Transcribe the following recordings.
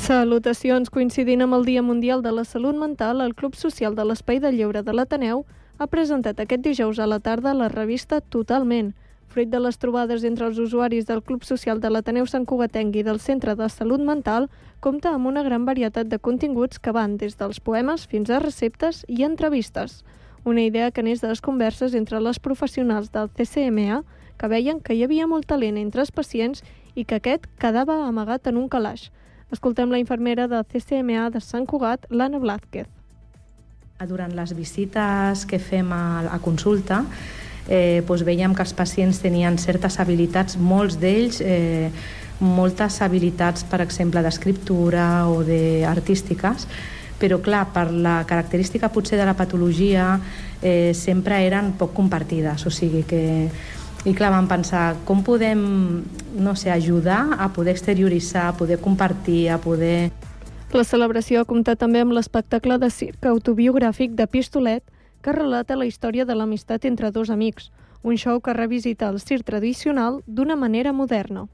Salutacions. Coincidint amb el Dia Mundial de la Salut Mental, el Club Social de l'Espai de Lleure de l'Ateneu ha presentat aquest dijous a la tarda la revista Totalment. Fruit de les trobades entre els usuaris del Club Social de l'Ateneu Sant Cugatenc i del Centre de Salut Mental, compta amb una gran varietat de continguts que van des dels poemes fins a receptes i entrevistes. Una idea que neix de les converses entre les professionals del CCMA, que veien que hi havia molt talent entre els pacients i que aquest quedava amagat en un calaix. Escoltem la infermera del CCMA de Sant Cugat, l'Anna Blázquez. Durant les visites que fem a consulta, veiem que els pacients tenien certes habilitats, molts d'ells, moltes habilitats, per exemple, d'escriptura o d'artístiques, però clar, per la característica potser de la patologia sempre eren poc compartides, o sigui que... I clar, vam pensar, com podem, ajudar a poder exterioritzar, a poder compartir, a poder... La celebració ha comptat també amb l'espectacle de circ autobiogràfic de Pistolet, que relata la història de l'amistat entre dos amics, un show que revisita el circ tradicional d'una manera moderna.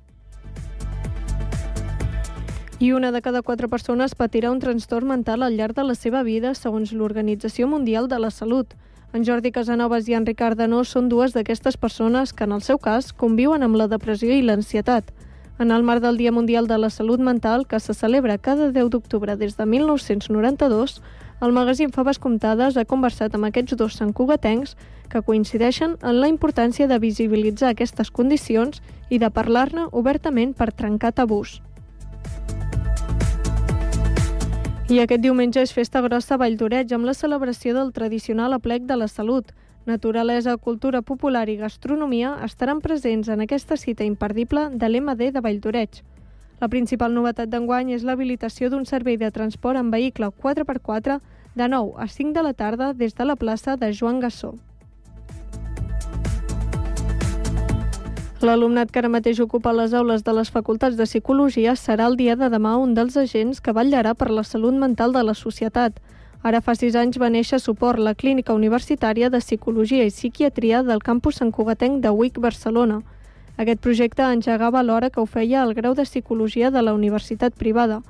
I una de cada 4 persones patirà un trastorn mental al llarg de la seva vida, segons l'Organització Mundial de la Salut. En Jordi Casanovas i en Ricard Danós són dues d'aquestes persones que, en el seu cas, conviuen amb la depressió i l'ansietat. En el marc del Dia Mundial de la Salut Mental, que se celebra cada 10 d'octubre des de 1992, el magazín Faves Comptades ha conversat amb aquests dos santcugatencs que coincideixen en la importància de visibilitzar aquestes condicions i de parlar-ne obertament per trencar tabús. I aquest diumenge és festa grossa a Valldoreix amb la celebració del tradicional aplec de la salut. Naturalesa, cultura popular i gastronomia estaran presents en aquesta cita imperdible de l'MD de Valldoreix. La principal novetat d'enguany és l'habilitació d'un servei de transport en vehicle 4x4 de 9 a 5 de la tarda des de la plaça de Joan Gassó. L'alumnat que ara mateix ocupa les aules de les facultats de Psicologia serà el dia de demà un dels agents que vetllarà per la salut mental de la societat. Ara fa 6 anys va néixer Suport, la clínica universitària de Psicologia i Psiquiatria del campus santcugatenc de UIC Barcelona. Aquest projecte engegava alhora que ho feia el grau de Psicologia de la universitat privada.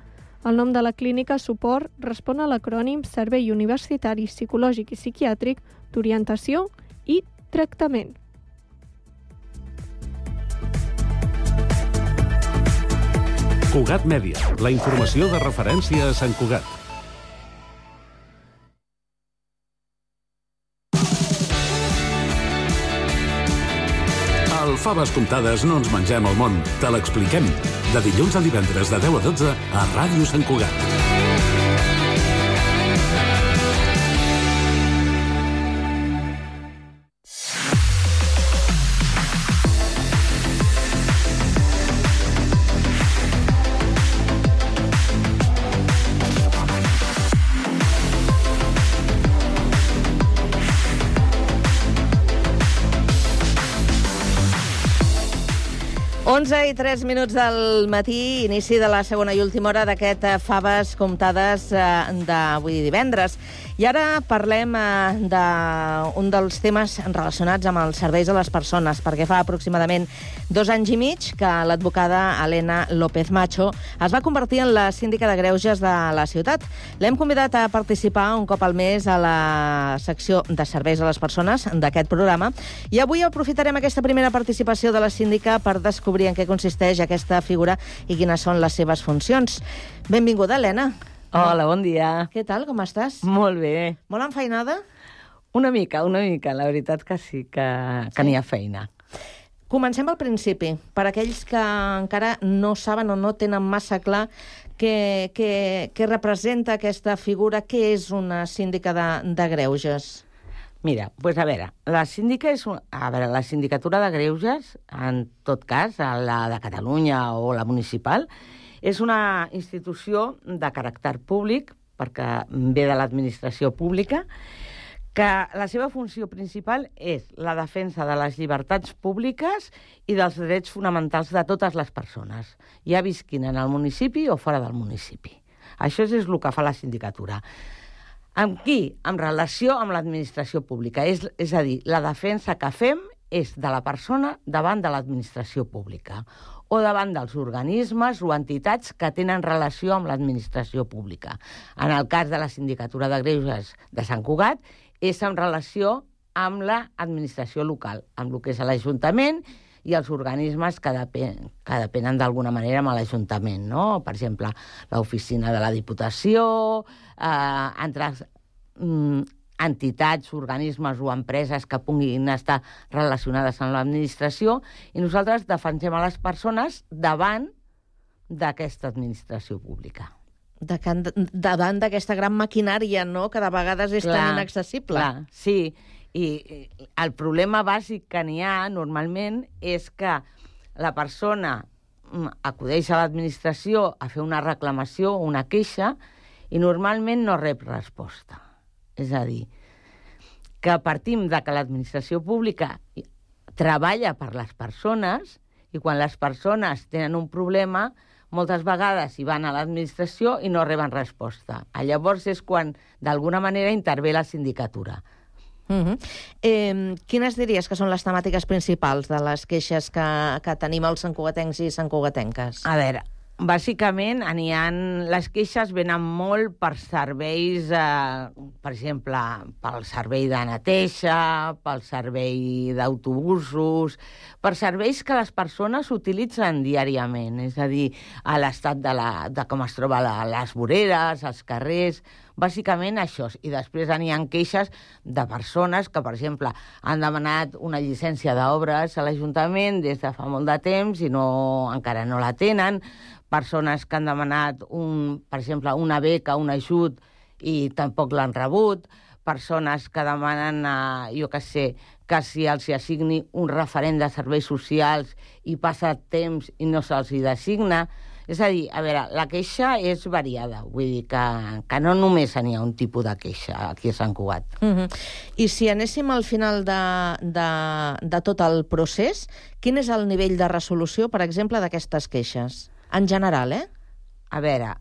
El nom de la clínica Suport respon a l'acrònim Servei Universitari Psicològic i Psiquiàtric d'Orientació i Tractament. Cugat Mèdia, la informació de referència a Sant Cugat. Al Faves Comptades no ens mengem el món, te l'expliquem. De dilluns a divendres de 10 a 12 a Ràdio Sant Cugat. I 3 minuts del matí, inici de la segona i última hora d'aquest Faves Comptades d'avui divendres. I ara parlem d'un dels temes relacionats amb els serveis a les persones, perquè fa aproximadament 2 anys i mig que l'advocada Elena López Macho es va convertir en la síndica de greuges de la ciutat. L'hem convidat a participar un cop al mes a la secció de serveis a les persones d'aquest programa i avui aprofitarem aquesta primera participació de la síndica per descobrir en què consisteix aquesta figura i quines són les seves funcions. Benvinguda, Elena. Hola, bon dia. Què tal, com estàs? Molt bé. Molt enfeinada? Una mica. La veritat que sí, que n'hi ha feina. Comencem al principi. Per aquells que encara no saben o no tenen massa clar què representa aquesta figura, què és una síndica de greuges? Mira, doncs a veure, la sindicatura de greuges, en tot cas, la de Catalunya o la municipal, és una institució de caràcter públic, perquè ve de l'administració pública, que la seva funció principal és la defensa de les llibertats públiques i dels drets fonamentals de totes les persones, ja visquin en el municipi o fora del municipi. Això és el que fa la sindicatura. Amb qui? En relació amb l'administració pública. És a dir, la defensa que fem és de la persona davant de l'administració pública o davant dels organismes o entitats que tenen relació amb l'administració pública. En el cas de la Sindicatura de Greuges de Sant Cugat, és en relació amb l'administració local, amb el que és l'Ajuntament i els organismes que depenen d'alguna manera amb l'Ajuntament, no? Per exemple, l'oficina de la Diputació, altres entitats, organismes o empreses que puguin estar relacionades amb l'administració, i nosaltres defensem a les persones davant d'aquesta administració pública. Davant d'aquesta gran maquinària, no?, que de vegades és tan inaccessible. Clar, sí. I el problema bàsic que n'hi ha normalment és que la persona acudeix a l'administració a fer una reclamació, una queixa, i normalment no rep resposta. És a dir, que partim de que l'administració pública treballa per les persones i quan les persones tenen un problema, moltes vegades hi van a l'administració i no reben resposta. Llavors és quan, d'alguna manera, intervé la sindicatura. Quines diries que són les temàtiques principals de les queixes que tenim els santcugatencs i santcugatenques? A veure, bàsicament, les queixes venen molt per serveis, per exemple, pel servei de neteja, pel servei d'autobusos, per serveis que les persones utilitzen diàriament, és a dir, a l'estat de com es troba les voreres, els carrers, bàsicament això. I després n'hi ha queixes de persones que, per exemple, han demanat una llicència d'obres a l'Ajuntament des de fa molt de temps i encara no la tenen, persones que han demanat, per exemple, una beca, un ajut, i tampoc l'han rebut, persones que demanen, que si els assigni un referent de serveis socials i passa temps i no se'ls hi designa. És a dir, a veure, la queixa és variada, vull dir que no només n'hi ha un tipus de queixa aquí a Sant Cugat. I si anéssim al final de tot el procés, quin és el nivell de resolució, per exemple, d'aquestes queixes? En general, A veure,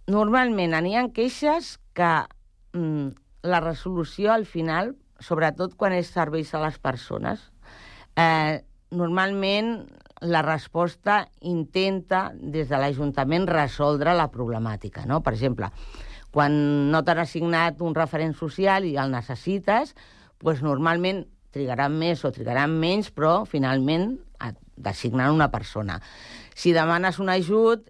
normalment n'hi ha queixes que la resolució al final, sobretot quan és serveis a les persones, normalment la resposta intenta des de l'Ajuntament resoldre la problemàtica, no? Per exemple, quan no t'han assignat un referent social i el necessites, doncs normalment trigaran més o trigaran menys, però finalment et designen una persona. Si demanes un ajut,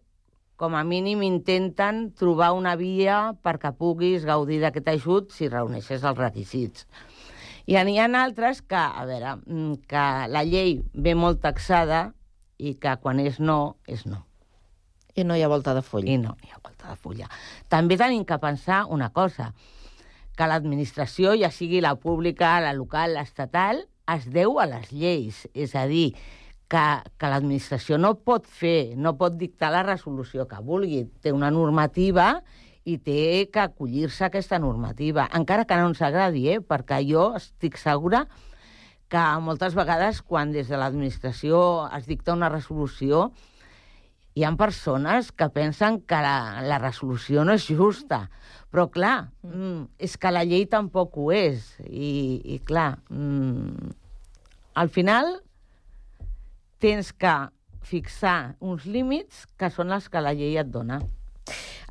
com a mínim intenten trobar una via perquè puguis gaudir d'aquest ajut si reuneixes els requisits. I n'hi ha altres que, a veure, que la llei ve molt taxada i que quan és no, és no. I no hi ha volta de full. I no hi ha volta de fulla. També tenim que pensar una cosa, que l'administració, ja sigui la pública, la local, l'estatal, es deu a les lleis. És a dir, que l'administració no pot dictar la resolució que vulgui. Té una normativa i té que acollir-se a aquesta normativa, encara que no ens agradi, perquè jo estic segura que moltes vegades, quan des de l'administració es dicta una resolució, hi ha persones que pensen que la resolució no és justa. Però, clar, és que la llei tampoc ho és. I clar, al final tens que fixar uns límits que són els que la llei et dona.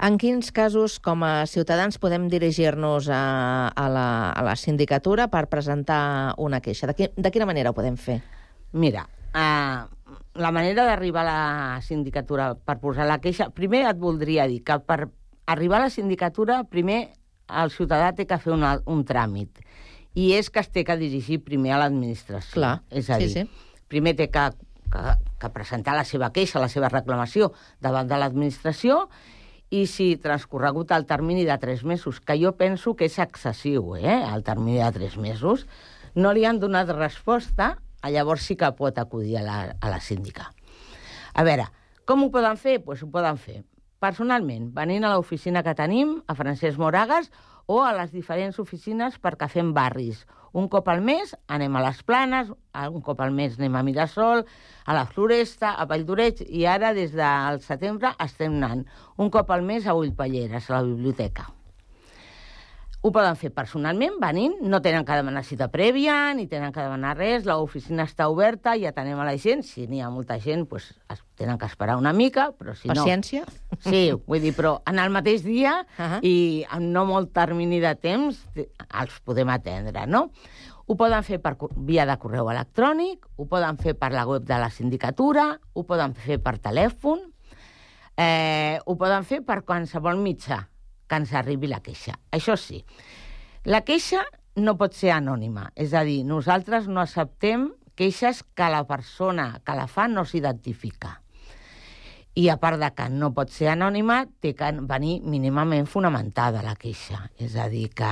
En quins casos, com a ciutadans, podem dirigir-nos a la sindicatura per presentar una queixa? De quina manera ho podem fer? Mira, la manera d'arribar a la sindicatura per posar la queixa... Primer et voldria dir que per arribar a la sindicatura, primer el ciutadà té que fer un tràmit. I és que es té que dirigir primer a l'administració. Clar, és a dir, primer té que presentar la seva queixa, la seva reclamació davant de l'administració, i si transcorregut el termini de 3 mesos, que jo penso que és excessiu, el termini de 3 mesos, no li han donat resposta, llavors sí que pot acudir a la síndica. A veure, com ho poden fer? Doncs ho poden fer personalment, venint a l'oficina que tenim, a Francesc Moragas, o a les diferents oficines perquè fem barris. Un cop al mes anem a les Planes, un cop al mes anem a Mirasol, a la Floresta, a Valldoreix, i ara, des del setembre, estem anant un cop al mes a Ullpalleres, a la biblioteca. Ho poden fer personalment, venint, no tenen que demanar cita prèvia, ni tenen que demanar res, l'oficina està oberta i atenem a la gent. Si n'hi ha molta gent, doncs tenen que esperar una mica, però si no... Paciència? Sí, vull dir, però en el mateix dia i en no molt termini de temps els podem atendre, no? Ho poden fer per via de correu electrònic, ho poden fer per la web de la sindicatura, ho poden fer per telèfon, ho poden fer per qualsevol mitjà que ens arribi la queixa. Això sí, la queixa no pot ser anònima, és a dir, nosaltres no acceptem queixes que la persona que la fa no s'identifica. I a part de que no pot ser anònima, té que venir mínimament fonamentada la queixa. És a dir, que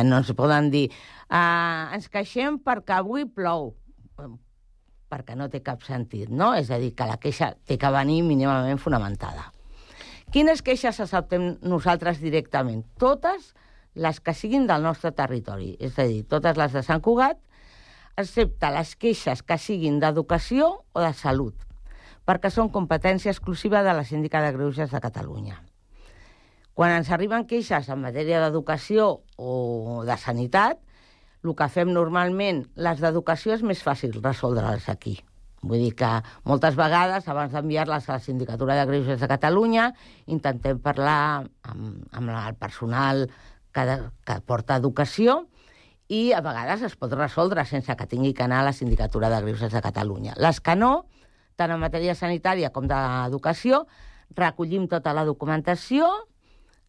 no ens poden dir ens queixem perquè avui plou, perquè no té cap sentit, no? És a dir, que la queixa té que venir mínimament fonamentada. Quines queixes acceptem nosaltres directament? Totes les que siguin del nostre territori, és a dir, totes les de Sant Cugat, excepte les queixes que siguin d'educació o de salut, perquè són competència exclusiva de la Síndica de Greuges de Catalunya. Quan ens arriben queixes en matèria d'educació o de sanitat, el que fem normalment, les d'educació és més fàcil resoldre-les aquí. Vull dir que moltes vegades, abans d'enviar-les a la Sindicatura de Greuges de Catalunya, intentem parlar amb el personal que porta educació i a vegades es pot resoldre sense que tingui que anar a la Sindicatura de Greuges de Catalunya. Les que no, tant en matèria sanitària com d'educació, recollim tota la documentació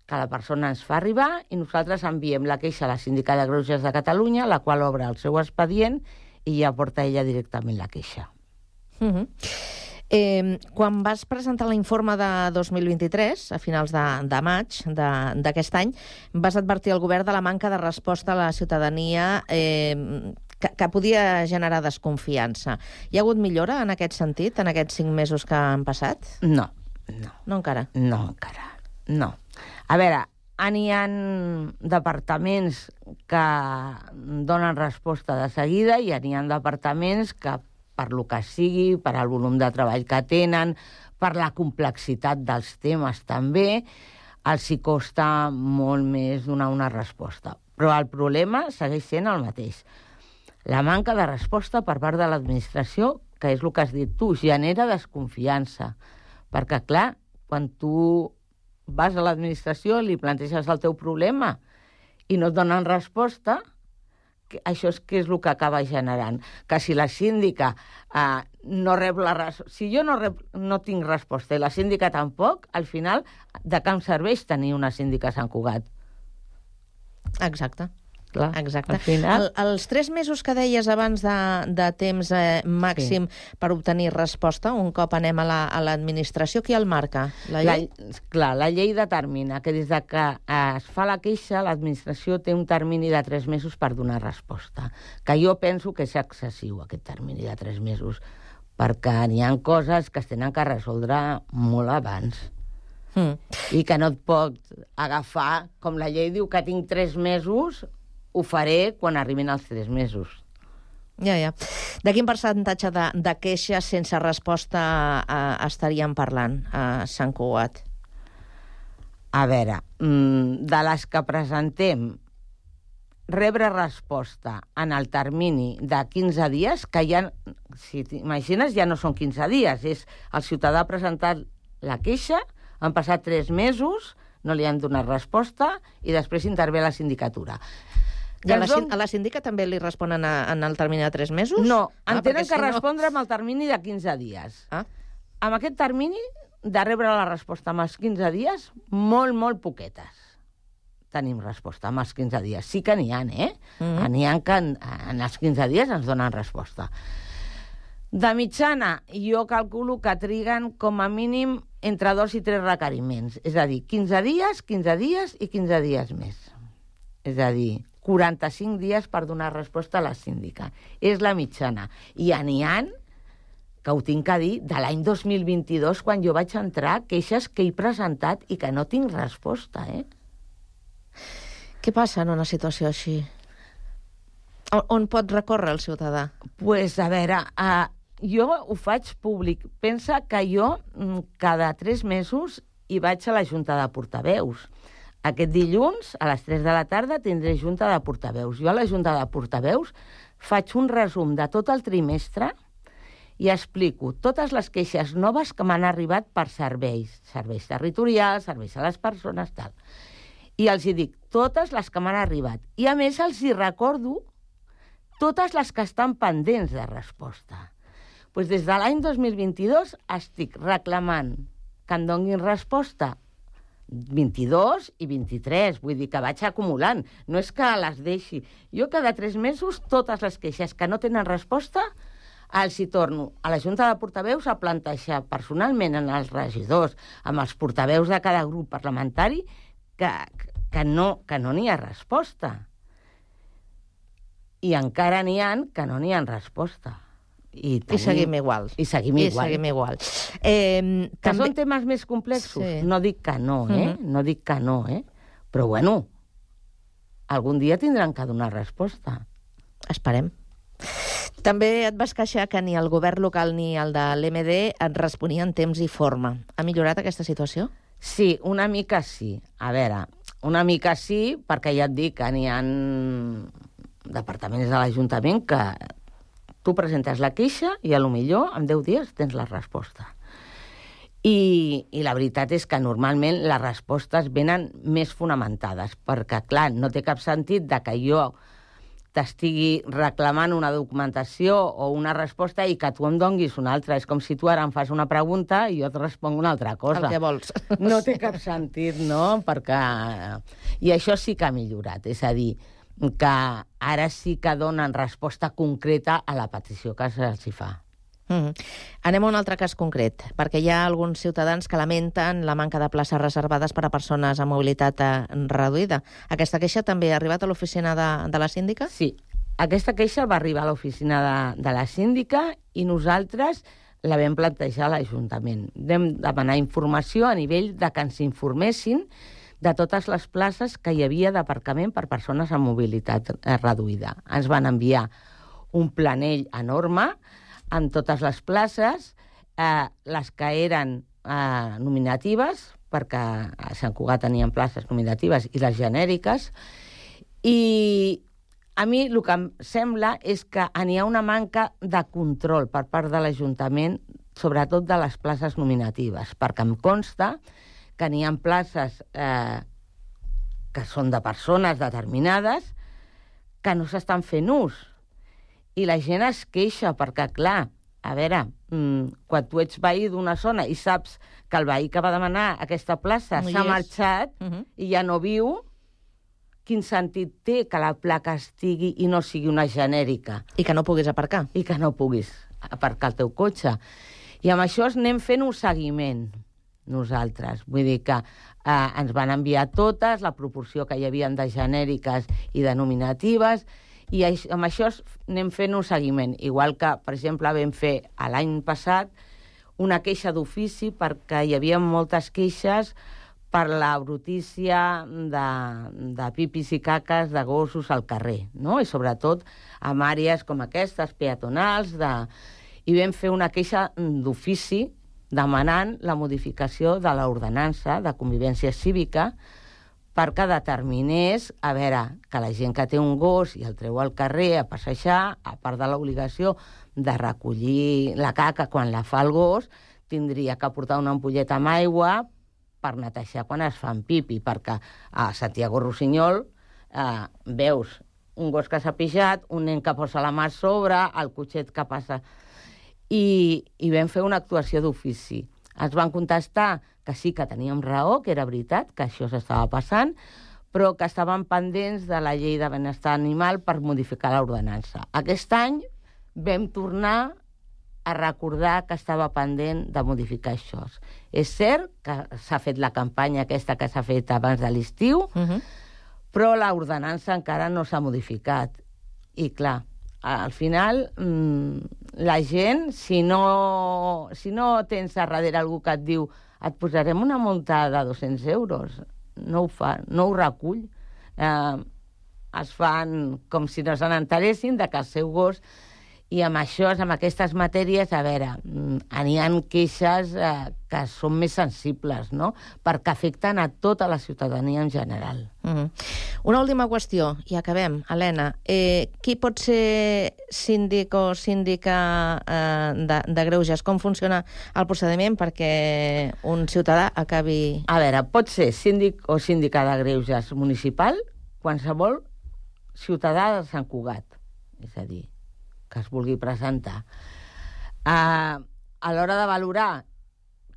que la persona ens fa arribar i nosaltres enviem la queixa a la Síndica de Greuges de Catalunya, la qual obre el seu expedient i ja porta ella directament la queixa. Quan vas presentar l'informe de 2023, a finals de maig d'aquest any, vas advertir al govern de la manca de resposta a la ciutadania que podia generar desconfiança. Hi ha hagut millora en aquest sentit, en aquests 5 mesos que han passat? No. No encara? No encara, no. A veure, n'hi ha departaments que donen resposta de seguida i n'hi ha departaments que per lo que sigui, per al volum de treball que tenen, per la complexitat dels temes també, els hi costa molt més donar una resposta. Però el problema segueix sent el mateix. La manca de resposta per part de l'administració, que és el que has dit tu, genera desconfiança. Perquè, clar, quan tu vas a l'administració i li planteges el teu problema i no et donen resposta, això és que és el que acaba generant. Que si la síndica no rep la resposta... Si jo no tinc resposta i la síndica tampoc, al final, de què em serveix tenir una síndica a Sant Cugat? Exacte. Clar, exacte. Al final... Els 3 mesos que deies abans de temps màxim per obtenir resposta, un cop anem a l'administració, qui el marca? La llei? Clar, la llei determina que des que es fa la queixa, l'administració té un termini de 3 mesos per donar resposta. Que jo penso que és excessiu, aquest termini de 3 mesos, perquè n'hi ha coses que es tenen que resoldre molt abans. I que no et pot agafar, com la llei diu que tinc 3 mesos, ho faré quan arribin els 3 mesos. Ja. De quin percentatge de queixes sense resposta estaríem parlant a Sant Cugat? A veure, de les que presentem, rebre resposta en el termini de 15 dies, que ja, si t'imagines, ja no són 15 dies, és el ciutadà ha presentat la queixa, han passat 3 mesos, no li han donat resposta i després intervé la sindicatura. I a la síndica també li responen en el termini de 3 mesos? No, en tenen que respondre amb el termini de 15 dies. Amb aquest termini de rebre la resposta amb els 15 dies, molt poquetes. Tenim resposta amb els 15 dies. Sí que n'hi ha, N'hi ha que en els 15 dies ens donen resposta. De mitjana, jo calculo que triguen com a mínim entre 2 i 3 requeriments. És a dir, 15 dies i 15 dies més. És a dir, 45 dies per donar resposta a la síndica. És la mitjana. I n'hi ha, que ho tinc a dir, de l'any 2022, quan jo vaig entrar, queixes que he presentat i que no tinc resposta, Què passa en una situació així? On pot recórrer el ciutadà? Pues, a veure, jo ho faig públic. Pensa que jo cada 3 mesos hi vaig a la Junta de Portaveus. Aquest dilluns, a les 3 de la tarda, tindré junta de portaveus. Jo a la junta de portaveus faig un resum de tot el trimestre i explico totes les queixes noves que m'han arribat per serveis territorials, serveis a les persones, tal. I els hi dic totes les que m'han arribat. I, a més, els hi recordo totes les que estan pendents de resposta. Pues des de l'any 2022 estic reclamant que em donguin resposta 22 i 23, vull dir que vaig acumulant. No és que les deixi. Jo cada 3 mesos, totes les queixes que no tenen resposta, els hi torno a la Junta de Portaveus a plantejar personalment en els regidors, amb els portaveus de cada grup parlamentari, que no n'hi ha resposta. I encara n'hi ha que no n'hi ha resposta. I seguim igual. I seguim igual. Que són temes més complexos? Sí. No dic que no, No dic que no, Però, bueno, algun dia tindran que donar resposta. Esperem. També et vas queixar que ni el govern local ni el de l'MD et responien temps i forma. Ha millorat aquesta situació? Sí, una mica sí. A veure, una mica sí, perquè ja et dic que n'hi ha departaments de l'Ajuntament que tu presentes la queixa i potser en 10 dies tens la resposta. I la veritat és que normalment les respostes venen més fonamentades, perquè, clar, no té cap sentit de que jo t'estigui reclamant una documentació o una resposta i que tu em donguis una altra. És com si tu ara em fas una pregunta i jo et responc una altra cosa. El que vols. No té cap sentit, no? Perquè... I això sí que ha millorat. És a dir, que ara sí que donen resposta concreta a la petició que se'ls fa. Anem a un altre cas concret, perquè hi ha alguns ciutadans que lamenten la manca de places reservades per a persones amb mobilitat reduïda. Aquesta queixa també ha arribat a l'oficina de la síndica? Sí, aquesta queixa va arribar a l'oficina de la síndica i nosaltres la vam plantejar a l'Ajuntament. Vam demanar informació a nivell de que ens informessin de totes les places que hi havia d'aparcament per persones amb mobilitat reduïda. Ens van enviar un planell enorme amb totes les places, les que eren nominatives, perquè a Sant Cugat tenien places nominatives, i les genèriques. I a mi el que em sembla és que n'hi ha una manca de control per part de l'Ajuntament, sobretot de les places nominatives, perquè em consta que n'hi ha places que són de persones determinades que no s'estan fent ús. I la gent es queixa perquè, clar, a veure, quan tu ets veí d'una zona i saps que el veí que va demanar aquesta plaça s'ha marxat i ja no viu, quin sentit té que la placa estigui i no sigui una genèrica? I que no puguis aparcar. I que no puguis aparcar el teu cotxe. I amb això anem fent un seguiment nosaltres. Vull dir que ens van enviar totes, la proporció que hi havia de genèriques i de nominatives, i amb això anem fent un seguiment. Igual que, per exemple, vam fer l'any passat una queixa d'ofici perquè hi havia moltes queixes per la brutícia de pipis i caques de gossos al carrer, no? I sobretot en àrees com aquestes, peatonals, i vam fer una queixa d'ofici demanant la modificació de l'ordenança de convivència cívica perquè determinés, a veure, que la gent que té un gos i el treu al carrer a passejar, a part de l'obligació de recollir la caca quan la fa el gos, tindria que portar una ampolleta amb aigua per netejar quan es fan pipi, perquè a Santiago Rossinyol veus un gos que s'ha pixat, un nen que posa la mà a sobre, el cotxet que passa... I vam fer una actuació d'ofici. Ens van contestar que sí que teníem raó, que era veritat, que això s'estava passant, però que estaven pendents de la llei de benestar animal per modificar l'ordenança. Aquest any vam tornar a recordar que estava pendent de modificar això. És cert que s'ha fet la campanya aquesta que s'ha fet abans de l'estiu, però l'ordenança encara no s'ha modificat. I clar, al final, la gent, si no tens a darrere algú que et diu et posarem una multa de 200 euros, no ho fa, no ho recull. Es fan com si no se n'enteressin de que el seu gos... I amb això, amb aquestes matèries, a veure, n'hi ha queixes que són més sensibles, no? Perquè afecten a tota la ciutadania en general. Una última qüestió, i acabem. Helena, qui pot ser síndic o síndica de greuges? Com funciona el procediment perquè un ciutadà acabi... A veure, pot ser síndic o síndica de greuges municipal, qualsevol ciutadà de Sant Cugat, és a dir, que es vulgui presentar. A l'hora de valorar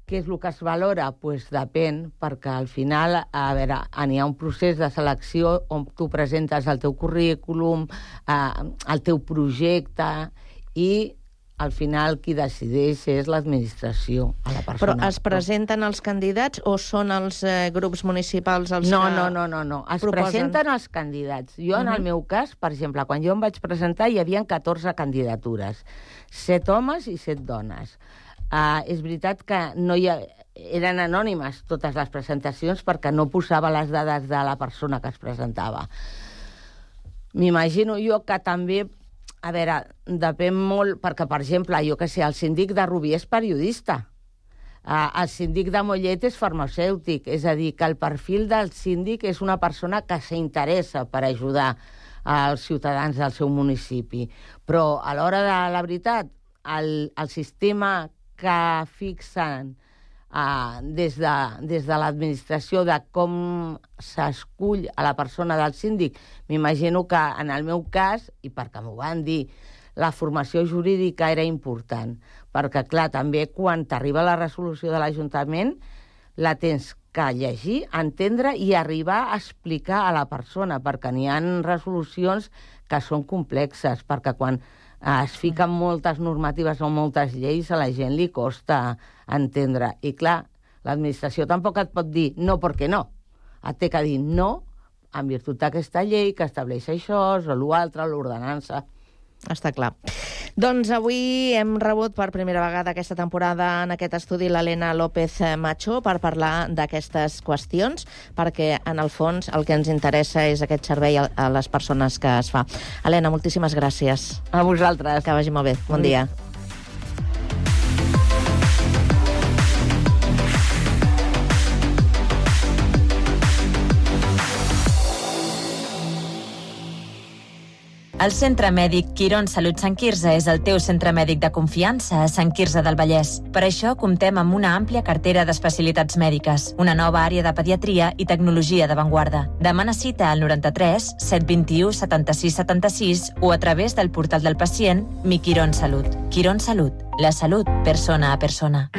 què és el que es valora, doncs depèn, perquè al final, a veure, n'hi ha un procés de selecció on tu presentes el teu currículum, el teu projecte, i al final qui decideix és l'administració, a la persona. Però es presenten els candidats o són els grups municipals els No. que Es presenten els candidats. Jo, en el meu cas, per exemple, quan jo em vaig presentar hi havia 14 candidatures. 7 homes i 7 dones. És veritat que eren anònimes totes les presentacions perquè no posava les dades de la persona que es presentava. M'imagino jo que també, a veure, depèn molt, perquè, per exemple, jo que sé, el síndic de Rubí és periodista, el síndic de Mollet és farmacèutic, és a dir, que el perfil del síndic és una persona que s'interessa per ajudar als ciutadans del seu municipi. Però, a l'hora de la veritat, el sistema que fixen des de l'administració de com s'escull a la persona del síndic, m'imagino que en el meu cas, i perquè m'ho van dir, la formació jurídica era important, perquè, clar, també quan t'arriba la resolució de l'Ajuntament la tens que llegir, entendre i arribar a explicar a la persona, perquè n'hi ha resolucions que són complexes, perquè quan es fiquen moltes normatives o moltes lleis, a la gent li costa entendre. I clar, l'administració tampoc et pot dir no perquè no. Et té que dir no en virtut d'aquesta llei que estableix això o l'altre, l'ordenança. Està clar. Doncs avui hem rebut per primera vegada aquesta temporada en aquest estudi l'Helena López Macho per parlar d'aquestes qüestions, perquè en el fons el que ens interessa és aquest servei a les persones que es fa. Helena, moltíssimes gràcies. A vosaltres. Que vagi molt bé. Bon dia. El Centre Mèdic Quirón Salut Sant Quirze és el teu centre mèdic de confiança a Sant Quirze del Vallès. Per això comptem amb una àmplia cartera d'especialitats mèdiques, una nova àrea de pediatria i tecnologia d'avantguarda. Demana cita al 93 721 76 76 o a través del portal del pacient Mi Quirón Salut. Quirón Salut, la salut persona a persona.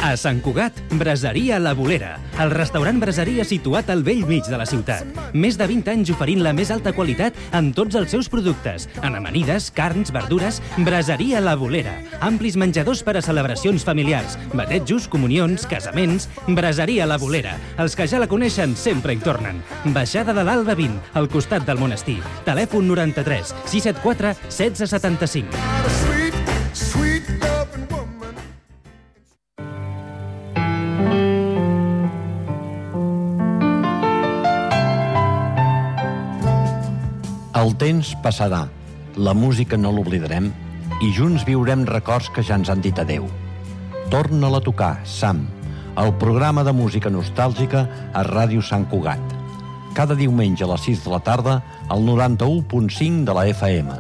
A Sant Cugat, Braseria La Bolera, el restaurant braseria situat al vell mig de la ciutat. Més de 20 anys oferint la més alta qualitat en tots els seus productes, en amanides, carns, verdures. Braseria La Bolera, amplis menjadors per a celebracions familiars, batejos, comunions, casaments. Braseria La Bolera, els que ja la coneixen sempre hi tornen. Baixada de l'Alba 20, al costat del monestir. Telèfon 93 674 1675. El temps passarà, la música no l'oblidarem i junts viurem records que ja ens han dit adeu. Torna-la a tocar, Sam, el programa de música nostàlgica a Ràdio Sant Cugat. Cada diumenge a les 6 de la tarda al 91.5 de la FM.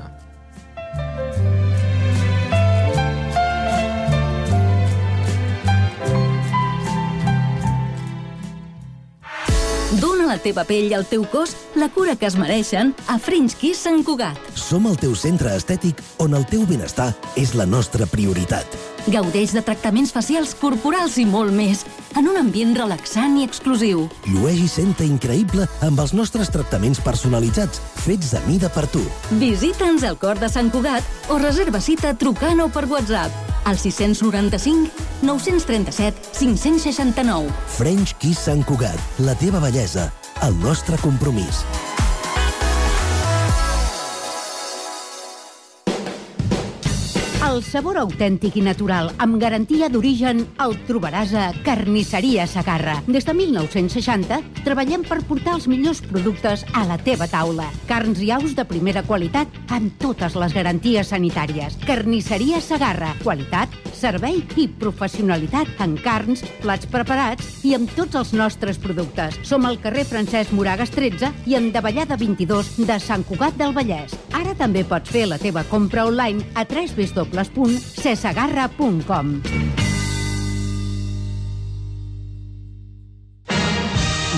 Dóna a la teva pell i al teu cos la cura que es mereixen a French Kiss Sant Cugat. Som el teu centre estètic on el teu benestar és la nostra prioritat. Gaudeix de tractaments facials, corporals i molt més, en un ambient relaxant i exclusiu. Llueix i senta increïble amb els nostres tractaments personalitzats, fets a mida per tu. Visita'ns al cor de Sant Cugat o reserva cita trucant o per WhatsApp al 695 937 569. French Kiss Sant Cugat, la teva bellesa, el nostre compromís. El sabor autèntic i natural, amb garantia d'origen, el trobaràs a Carnisseria Segarra. Des de 1960 treballem per portar els millors productes a la teva taula. Carns i aus de primera qualitat amb totes les garanties sanitàries. Carnisseria Segarra. Qualitat, servei i professionalitat en carns, plats preparats i amb tots els nostres productes. Som al carrer Francesc Moragas 13 i en Davallada 22 de Sant Cugat del Vallès. Ara també pots fer la teva compra online a www.cesegarra.com.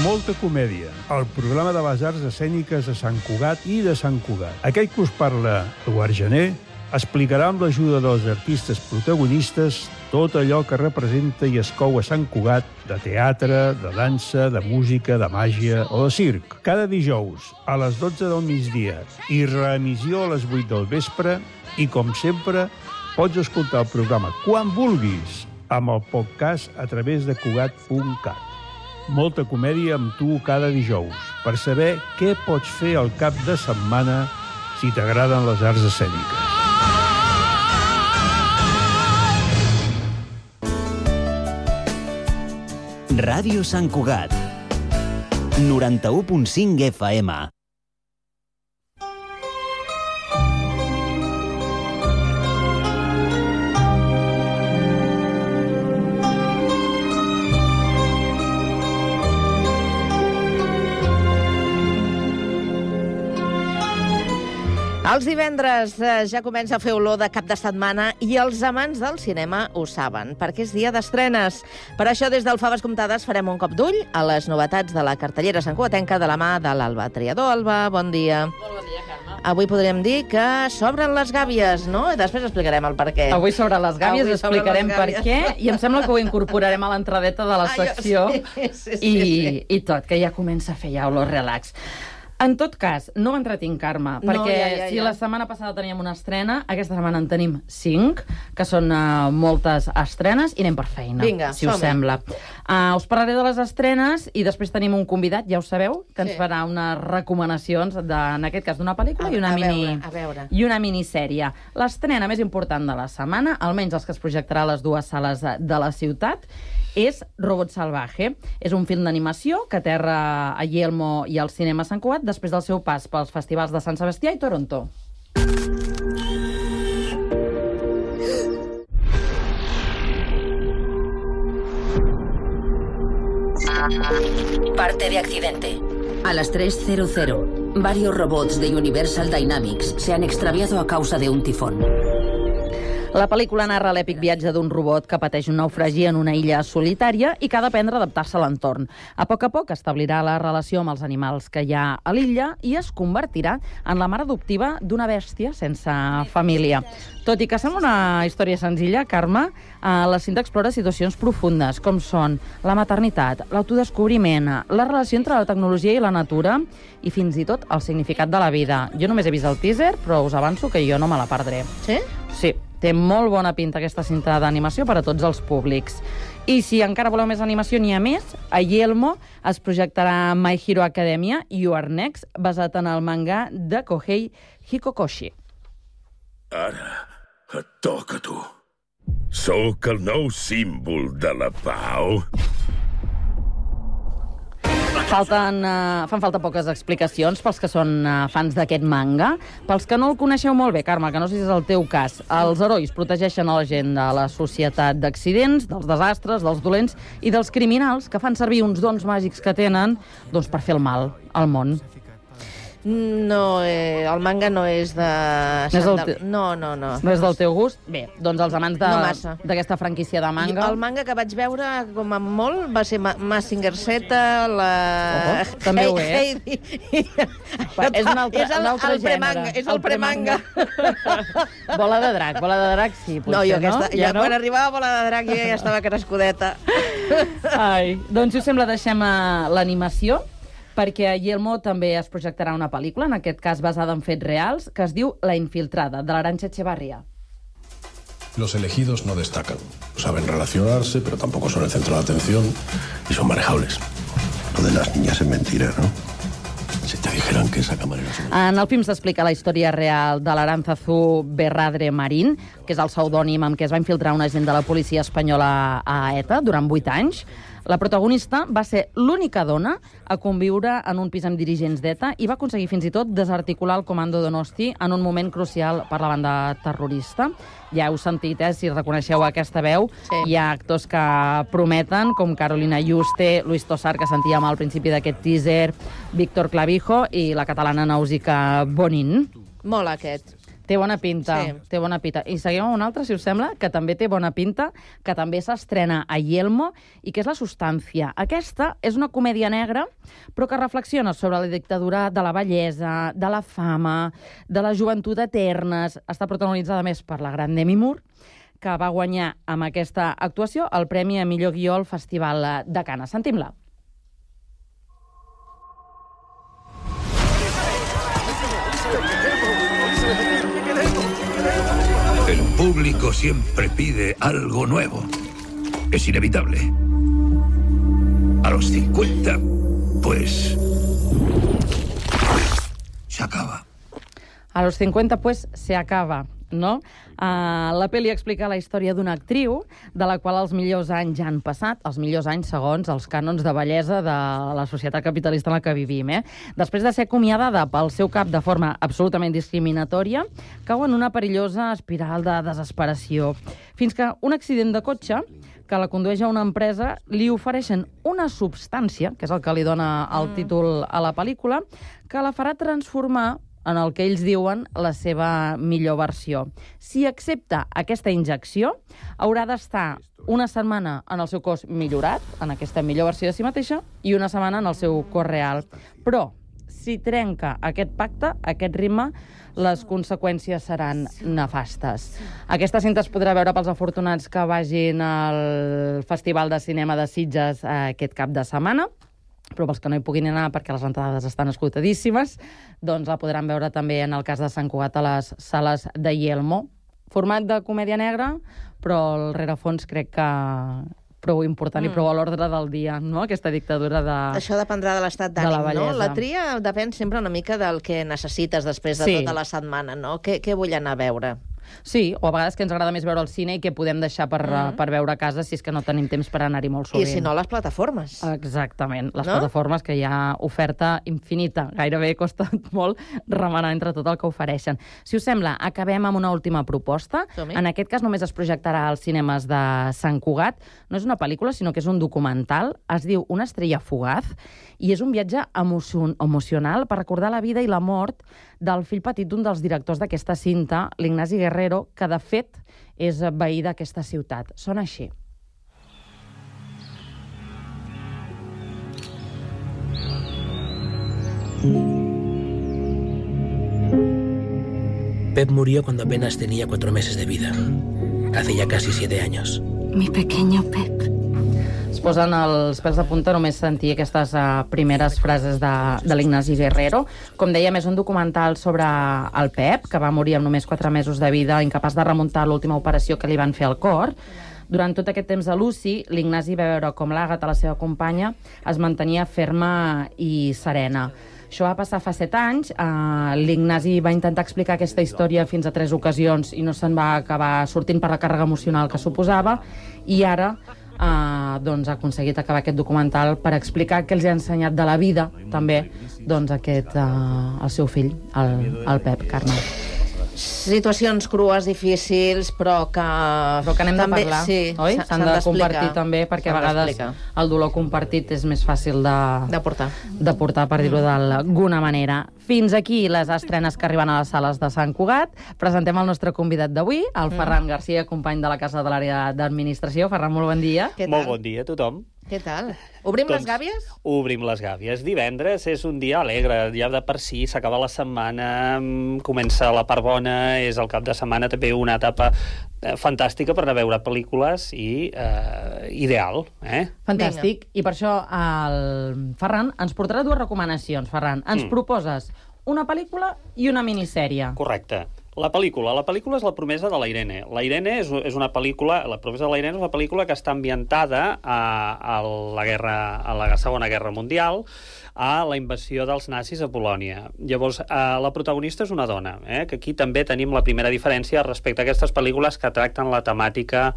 Molta comèdia, el programa de les arts escèniques de Sant Cugat i de Sant Cugat. Aquell que us parla, Eduard Gener, explicarà amb l'ajuda dels artistes protagonistes tot allò que representa i es cou a Sant Cugat de teatre, de dansa, de música, de màgia o de circ. Cada dijous a les 12 del migdia i reemissió a les 8 del vespre i, com sempre, pots escoltar el programa quan vulguis amb el podcast a través de Cugat.cat. Molta comèdia amb tu cada dijous per saber què pots fer al cap de setmana si t'agraden les arts escèniques. Ràdio Sant Cugat, 91.5 FM. Els divendres ja comença a fer olor de cap de setmana i els amants del cinema ho saben, perquè és dia d'estrenes. Per això, des del Faves Comptades farem un cop d'ull a les novetats de la cartellera santcugatenca de la mà de l'Alba Triador. Alba, bon dia. Molt bon dia, Carme. Avui podríem dir que s'obren les gàbies, no? I després explicarem el per què. Avui s'obren les gàbies, explicarem per què, i em sembla que ho incorporarem a l'entradeta de la secció i tot, que ja comença a fer ja olor relax. En tot cas, no m'entretinc, Carme, perquè si la setmana passada teníem una estrena, aquesta setmana en tenim 5, que són moltes estrenes, i anem per feina, si us sembla. Us parlaré de les estrenes i després tenim un convidat, ja ho sabeu, que ens farà unes recomanacions, en aquest cas d'una pel·lícula i una minissèrie. L'estrena més important de la setmana, almenys els que es projectarà a les 2 sales de la ciutat, és Robot Salvaje. És un film d'animació que aterra a Yelmo i al cinema Sant Cugat després del seu pas pels festivals de Sant Sebastià i Toronto. Parte de accidente. A las 3:00, varios robots de Universal Dynamics se han extraviado a causa de un tifón. La pel·lícula narra l'èpic viatge d'un robot que pateix un naufragi en una illa solitària i que ha d'aprendre a adaptar-se a l'entorn. A poc establirà la relació amb els animals que hi ha a l'illa i es convertirà en la mare adoptiva d'una bèstia sense família. Tot i que sembla una història senzilla, Carme, la cinta explora situacions profundes, com són la maternitat, l'autodescobriment, la relació entre la tecnologia i la natura i fins i tot el significat de la vida. Jo només he vist el teaser, però us avanço que jo no me la perdré. Sí? Sí. Té molt bona pinta aquesta cinta d'animació per a tots els públics. I si encara voleu més animació, n'hi ha més. A Yelmo es projectarà My Hero Academia, You Are Next, basat en el manga de Kohei Hikokoshi. Ara et toca a tu. Sóc el nou símbol de la pau. Fan falta poques explicacions pels que són fans d'aquest manga. Pels que no el coneixeu molt bé, Carme, que no sé si és el teu cas, els herois protegeixen a la gent de la societat d'accidents, dels desastres, dels dolents i dels criminals que fan servir uns dons màgics que tenen per fer el mal al món. No, el manga no és de... No. No és del teu gust? Bé, doncs els amants d'aquesta franquícia de manga... El manga que vaig veure, com a molt, va ser Mazinger Z, també ho és. És un altre gènere. És el premanga. Bola de drac, sí, potser, no? Quan arribava Bola de drac jo ja estava crescudeta. Doncs, si us sembla, deixem l'animació, perquè a Yelmo també es projectarà una pel·lícula, en aquest cas basada en fets reals, que es diu La Infiltrada, de l'Arantxa Echevarría. Los elegidos no destacan. Saben relacionarse, pero tampoco son el centro de atención y son manejables. Lo de las niñas es mentira, ¿no? Si te dijeran que esa camarera... En el film s'explica la història real de l'Aránzazu Berradre Marín, que és el pseudònim amb què es va infiltrar un agent de la policia espanyola a ETA durant 8 anys. La protagonista va ser l'única dona a conviure en un pis amb dirigents d'ETA i va aconseguir fins i tot desarticular el Comando Donosti en un moment crucial per la banda terrorista. Ja heu sentit, si reconeixeu aquesta veu, sí. Hi ha actors que prometen, com Carolina Yuste, Luis Tosar, que sentíem al principi d'aquest teaser, Víctor Clavijo i la catalana Nausica Bonin. Molt aquest. Té bona pinta, sí. Té bona pinta. I seguim amb una altra, si us sembla, que també té bona pinta, que també s'estrena a Yelmo, i que és La Substància. Aquesta és una comèdia negra, però que reflexiona sobre la dictadura de la bellesa, de la fama, de la joventut eternes. Està protagonitzada més per la gran Demi Moore, que va guanyar amb aquesta actuació el Premi a Millor Guió al Festival de Canes. Sentim-la. El público siempre pide algo nuevo. Es inevitable. A los 50, pues... se acaba. A los 50, pues, se acaba, no? La pel·li explica la història d'una actriu de la qual els millors anys ja han passat, els millors anys segons els cànons de bellesa de la societat capitalista en la que vivim. Després de ser acomiadada pel seu cap de forma absolutament discriminatòria, cau en una perillosa espiral de desesperació, fins que un accident de cotxe que la condueix a una empresa li ofereixen una substància, que és el que li dona el títol a la pel·lícula, que la farà transformar en el que ells diuen la seva millor versió. Si accepta aquesta injecció, haurà d'estar una setmana en el seu cos millorat, en aquesta millor versió de si mateixa, i una setmana en el seu cos real. Però, si trenca aquest pacte, aquest ritme, les conseqüències seran nefastes. Aquesta cinta es podrà veure pels afortunats que vagin al Festival de Cinema de Sitges aquest cap de setmana, però pels que no hi puguin anar perquè les entrades estan esgotadíssimes, doncs la podran veure també en el cas de Sant Cugat a les sales de Yelmo. Format de comèdia negra, però el rerefons crec que prou important i prou a l'ordre del dia, no? Aquesta dictadura de... Això dependrà de l'estat d'ànim, no? La tria depèn sempre una mica del que necessites després de tota la setmana, no? Què vull anar a veure? Sí, o a vegades que ens agrada més veure al cine i que podem deixar per veure a casa si és que no tenim temps per anar-hi molt sovint. I si no, les plataformes. Exactament, les plataformes, que hi ha oferta infinita. Gairebé costa molt remenar entre tot el que ofereixen. Si us sembla, acabem amb una última proposta. En aquest cas només es projectarà als cinemes de Sant Cugat. No és una pel·lícula, sinó que és un documental. Es diu Una estrella fugaz i és un viatge emocional per recordar la vida i la mort del fill petit d'un dels directors d'aquesta cinta, l'Ignasi Guerrero, que de fet és veí d'aquesta ciutat. Sona així. Pep murió cuando apenas tenía 4 meses de vida. Hace ya casi 7 años. Mi pequeño Pep. Es posen els pèls de punta només sentir aquestes primeres frases de l'Ignasi Guerrero. Com dèiem, és un documental sobre el Pep, que va morir amb només 4 mesos de vida, incapaç de remuntar l'última operació que li van fer al cor. Durant tot aquest temps de l'UCI, l'Ignasi va veure com l'Àgata, la seva companya, es mantenia ferma i serena. Això va passar fa 7 anys. L'Ignasi va intentar explicar aquesta història fins a 3 ocasions i no se'n va acabar sortint per la càrrega emocional que suposava. I ara doncs ha aconseguit acabar aquest documental per explicar què els ha ensenyat de la vida, també, doncs el seu fill, el Pep, Carme. Situacions crues, difícils, però que anem de parlar, oi? S'han de compartir també, perquè a vegades el dolor compartit és més fàcil de portar, per dir-ho d'alguna manera. Fins aquí les estrenes que arriben a les sales de Sant Cugat. Presentem el nostre convidat d'avui, el Ferran Garcia, company de la Casa de l'Àrea d'Administració. Ferran, molt bon dia. Molt bon dia a tothom. Què tal? Obrim les gàbies? Obrim les gàbies. Divendres és un dia alegre, ja de per si s'acaba la setmana, comença la part bona, és el cap de setmana també una etapa fantàstica per anar a veure pel·lícules i ideal. Fantàstic. I per això el Ferran ens portarà 2 recomanacions. Ferran, ens proposes una pel·lícula i una minissèrie. Correcte. La pel·lícula és La promesa de la Irene. La Irene és una pel·lícula, La promesa de la Irene és una pel·lícula que està ambientada a la Segona Guerra Mundial, a la invasió dels nazis a Polònia. Llavors, la protagonista és una dona, que aquí també tenim la primera diferència respecte a aquestes pel·lícules que tracten la temàtica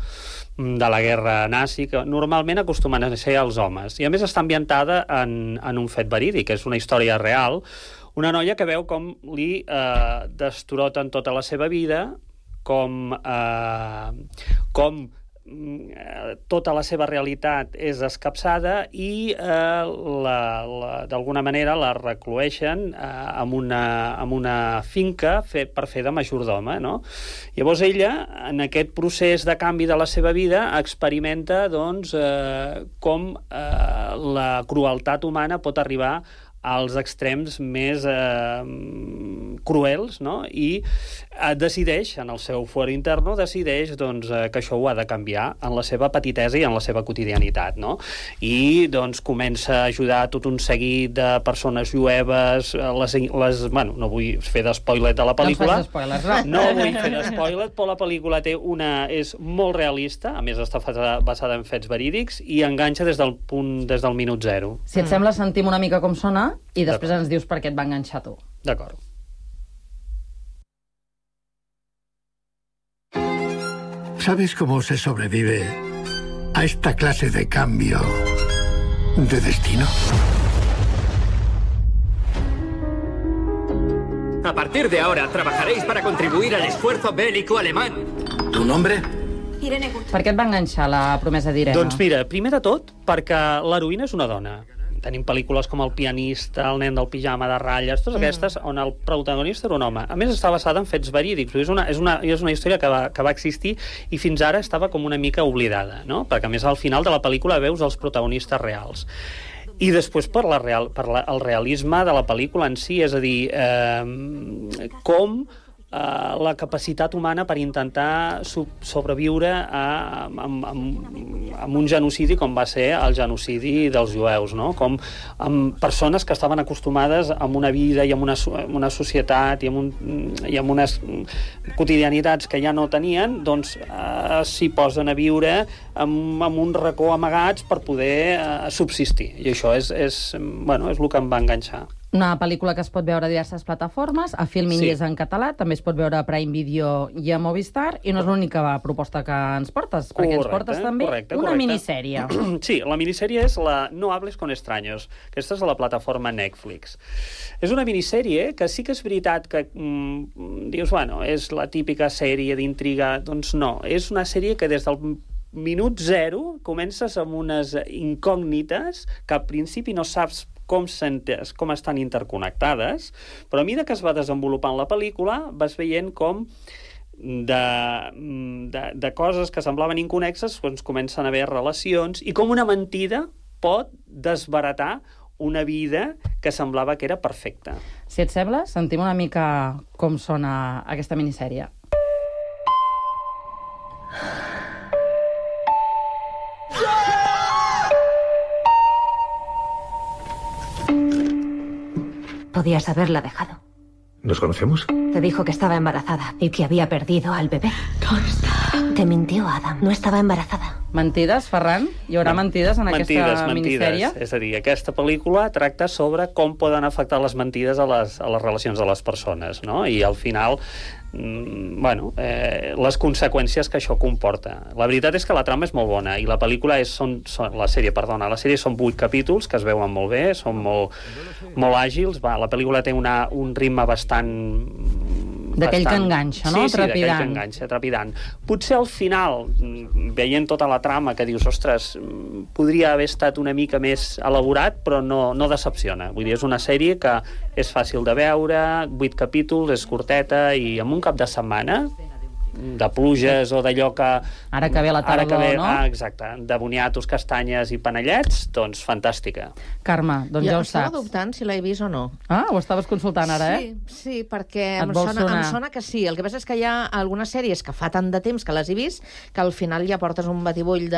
de la guerra nazi, que normalment acostumen a ser els homes. I a més està ambientada en un fet verídic, és una història real, una noia que veu com li destroten tota la seva vida, com tota la seva realitat és escapçada i d'alguna manera la recloeixen en una finca per fer de majordoma, no? Llavors ella, en aquest procés de canvi de la seva vida, experimenta com la crueltat humana pot arribar als extrems més cruels, no? I decideix, en el seu fuero interno, decideix que això ho ha de canviar en la seva petitesa i en la seva quotidianitat, no? I comença a ajudar tot un seguit de persones jueves, bueno, no vull fer d'espoiler de la pel·lícula. No spoilers, no? No vull fer d'espoiler, però la pel·lícula és molt realista, a més està basada en fets verídics, i enganxa des del minut zero. Si et sembla, sentim una mica com sona i després ens dius per què et va enganxar tu. D'acord. ¿Sabes cómo se sobrevive a esta clase de cambio de destino? A partir de ahora trabajaréis para contribuir al esfuerzo bélico alemán. ¿Tu nombre? Irene Gut. Per què et va enganxar La promesa d'Irene? Doncs mira, primer de tot, perquè l'heroïna és una dona. Tenim pel·lícules com El pianista, El nen del pijama de ratlles, totes aquestes on el protagonista era un home. A més, està basada en fets verídics. És una història que va existir i fins ara estava com una mica oblidada, no? Perquè, a més, al final de la pel·lícula veus els protagonistes reals. I després per el realisme de la pel·lícula en si, és a dir, com la capacitat humana per intentar sobreviure amb un genocidi com va ser el genocidi dels jueus, no? Com amb persones que estaven acostumades a una vida i a una societat i a unes quotidianitats que ja no tenien, doncs s'hi posen a viure amb un racó amagats per poder subsistir. I això és el que em va enganxar. Una pel·lícula que es pot veure a diverses plataformes, a Filmin és en català, també es pot veure a Prime Video i a Movistar, i no és l'única proposta que ens portes, perquè ens portes també una minissèrie. Sí, la minissèrie és la No hables con extraños. Aquesta és la plataforma Netflix. És una minissèrie que sí que és veritat que dius, bueno, és la típica sèrie d'intriga. Doncs no, és una sèrie que des del minut zero comences amb unes incògnites que al principi no saps com estan interconnectades, però a mesura que es va desenvolupant la pel·lícula vas veient com de coses que semblaven inconnexes doncs comencen a haver relacions i com una mentida pot desbaratar una vida que semblava que era perfecta. Si et sembla, sentim una mica com sona aquesta minissèrie. Podías haberla dejado. ¿Nos conocemos? Te dijo que estaba embarazada y que había perdido al bebé. ¿Dónde está? Te mintió, Adam. No estava embarazada. Mentides, Ferran? Hi haurà mentides en aquesta minissèrie? És a dir, aquesta pel·lícula tracta sobre com poden afectar les mentides a les relacions de les persones, no? I al final, les conseqüències que això comporta. La veritat és que la trama és molt bona i la pel·lícula la sèrie són 8 capítols que es veuen molt bé, són molt àgils. La pel·lícula té un ritme bastant... D'aquell que enganxa, no? Sí, d'aquell que enganxa, trepidant. Potser al final, veient tota la trama, que dius, ostres, podria haver estat una mica més elaborat, però no decepciona. Vull dir, és una sèrie que és fàcil de veure, 8 capítols, és curteta, i en un cap de setmana, de pluges o d'allò que... Ara que ve la tardor, no? Exacte, de boniatos, castanyes i panellets, doncs fantàstica. Carme, doncs ja ho saps. Estava dubtant si l'he vist o no. Ah, ho estaves consultant ara, Sí, perquè em sona que sí. El que passa és que hi ha algunes sèries que fa tant de temps que les he vist que al final ja portes un batibull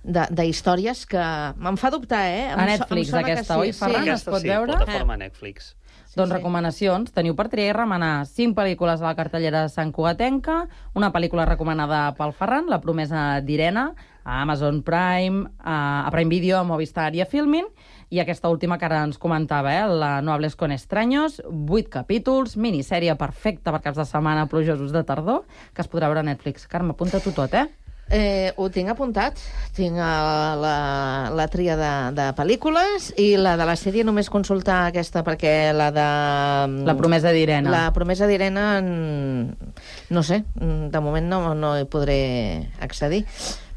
d'històries que me'n fa dubtar, A Netflix aquesta, oi, Ferran? Es pot veure? Sí, plataforma Netflix. Doncs recomanacions. Teniu per triar i remenar 5 pel·lícules a la cartellera santcugatenca, una pel·lícula recomanada pel Ferran, La promesa d'Irene, a Amazon Prime, a Prime Video, a Movistar i a Filmin, i aquesta última que ara ens comentava, la No hables con extraños, 8 capítols, minissèrie perfecta per caps de setmana plujosos de tardor, que es podrà veure a Netflix. Carme, apunta-t'ho tot, Ho tinc apuntat. Tinc la tria de pel·lícules i la de la sèrie només consultar aquesta, perquè la de... La promesa d'Irene. La promesa d'Irene, no sé, de moment no hi podré accedir.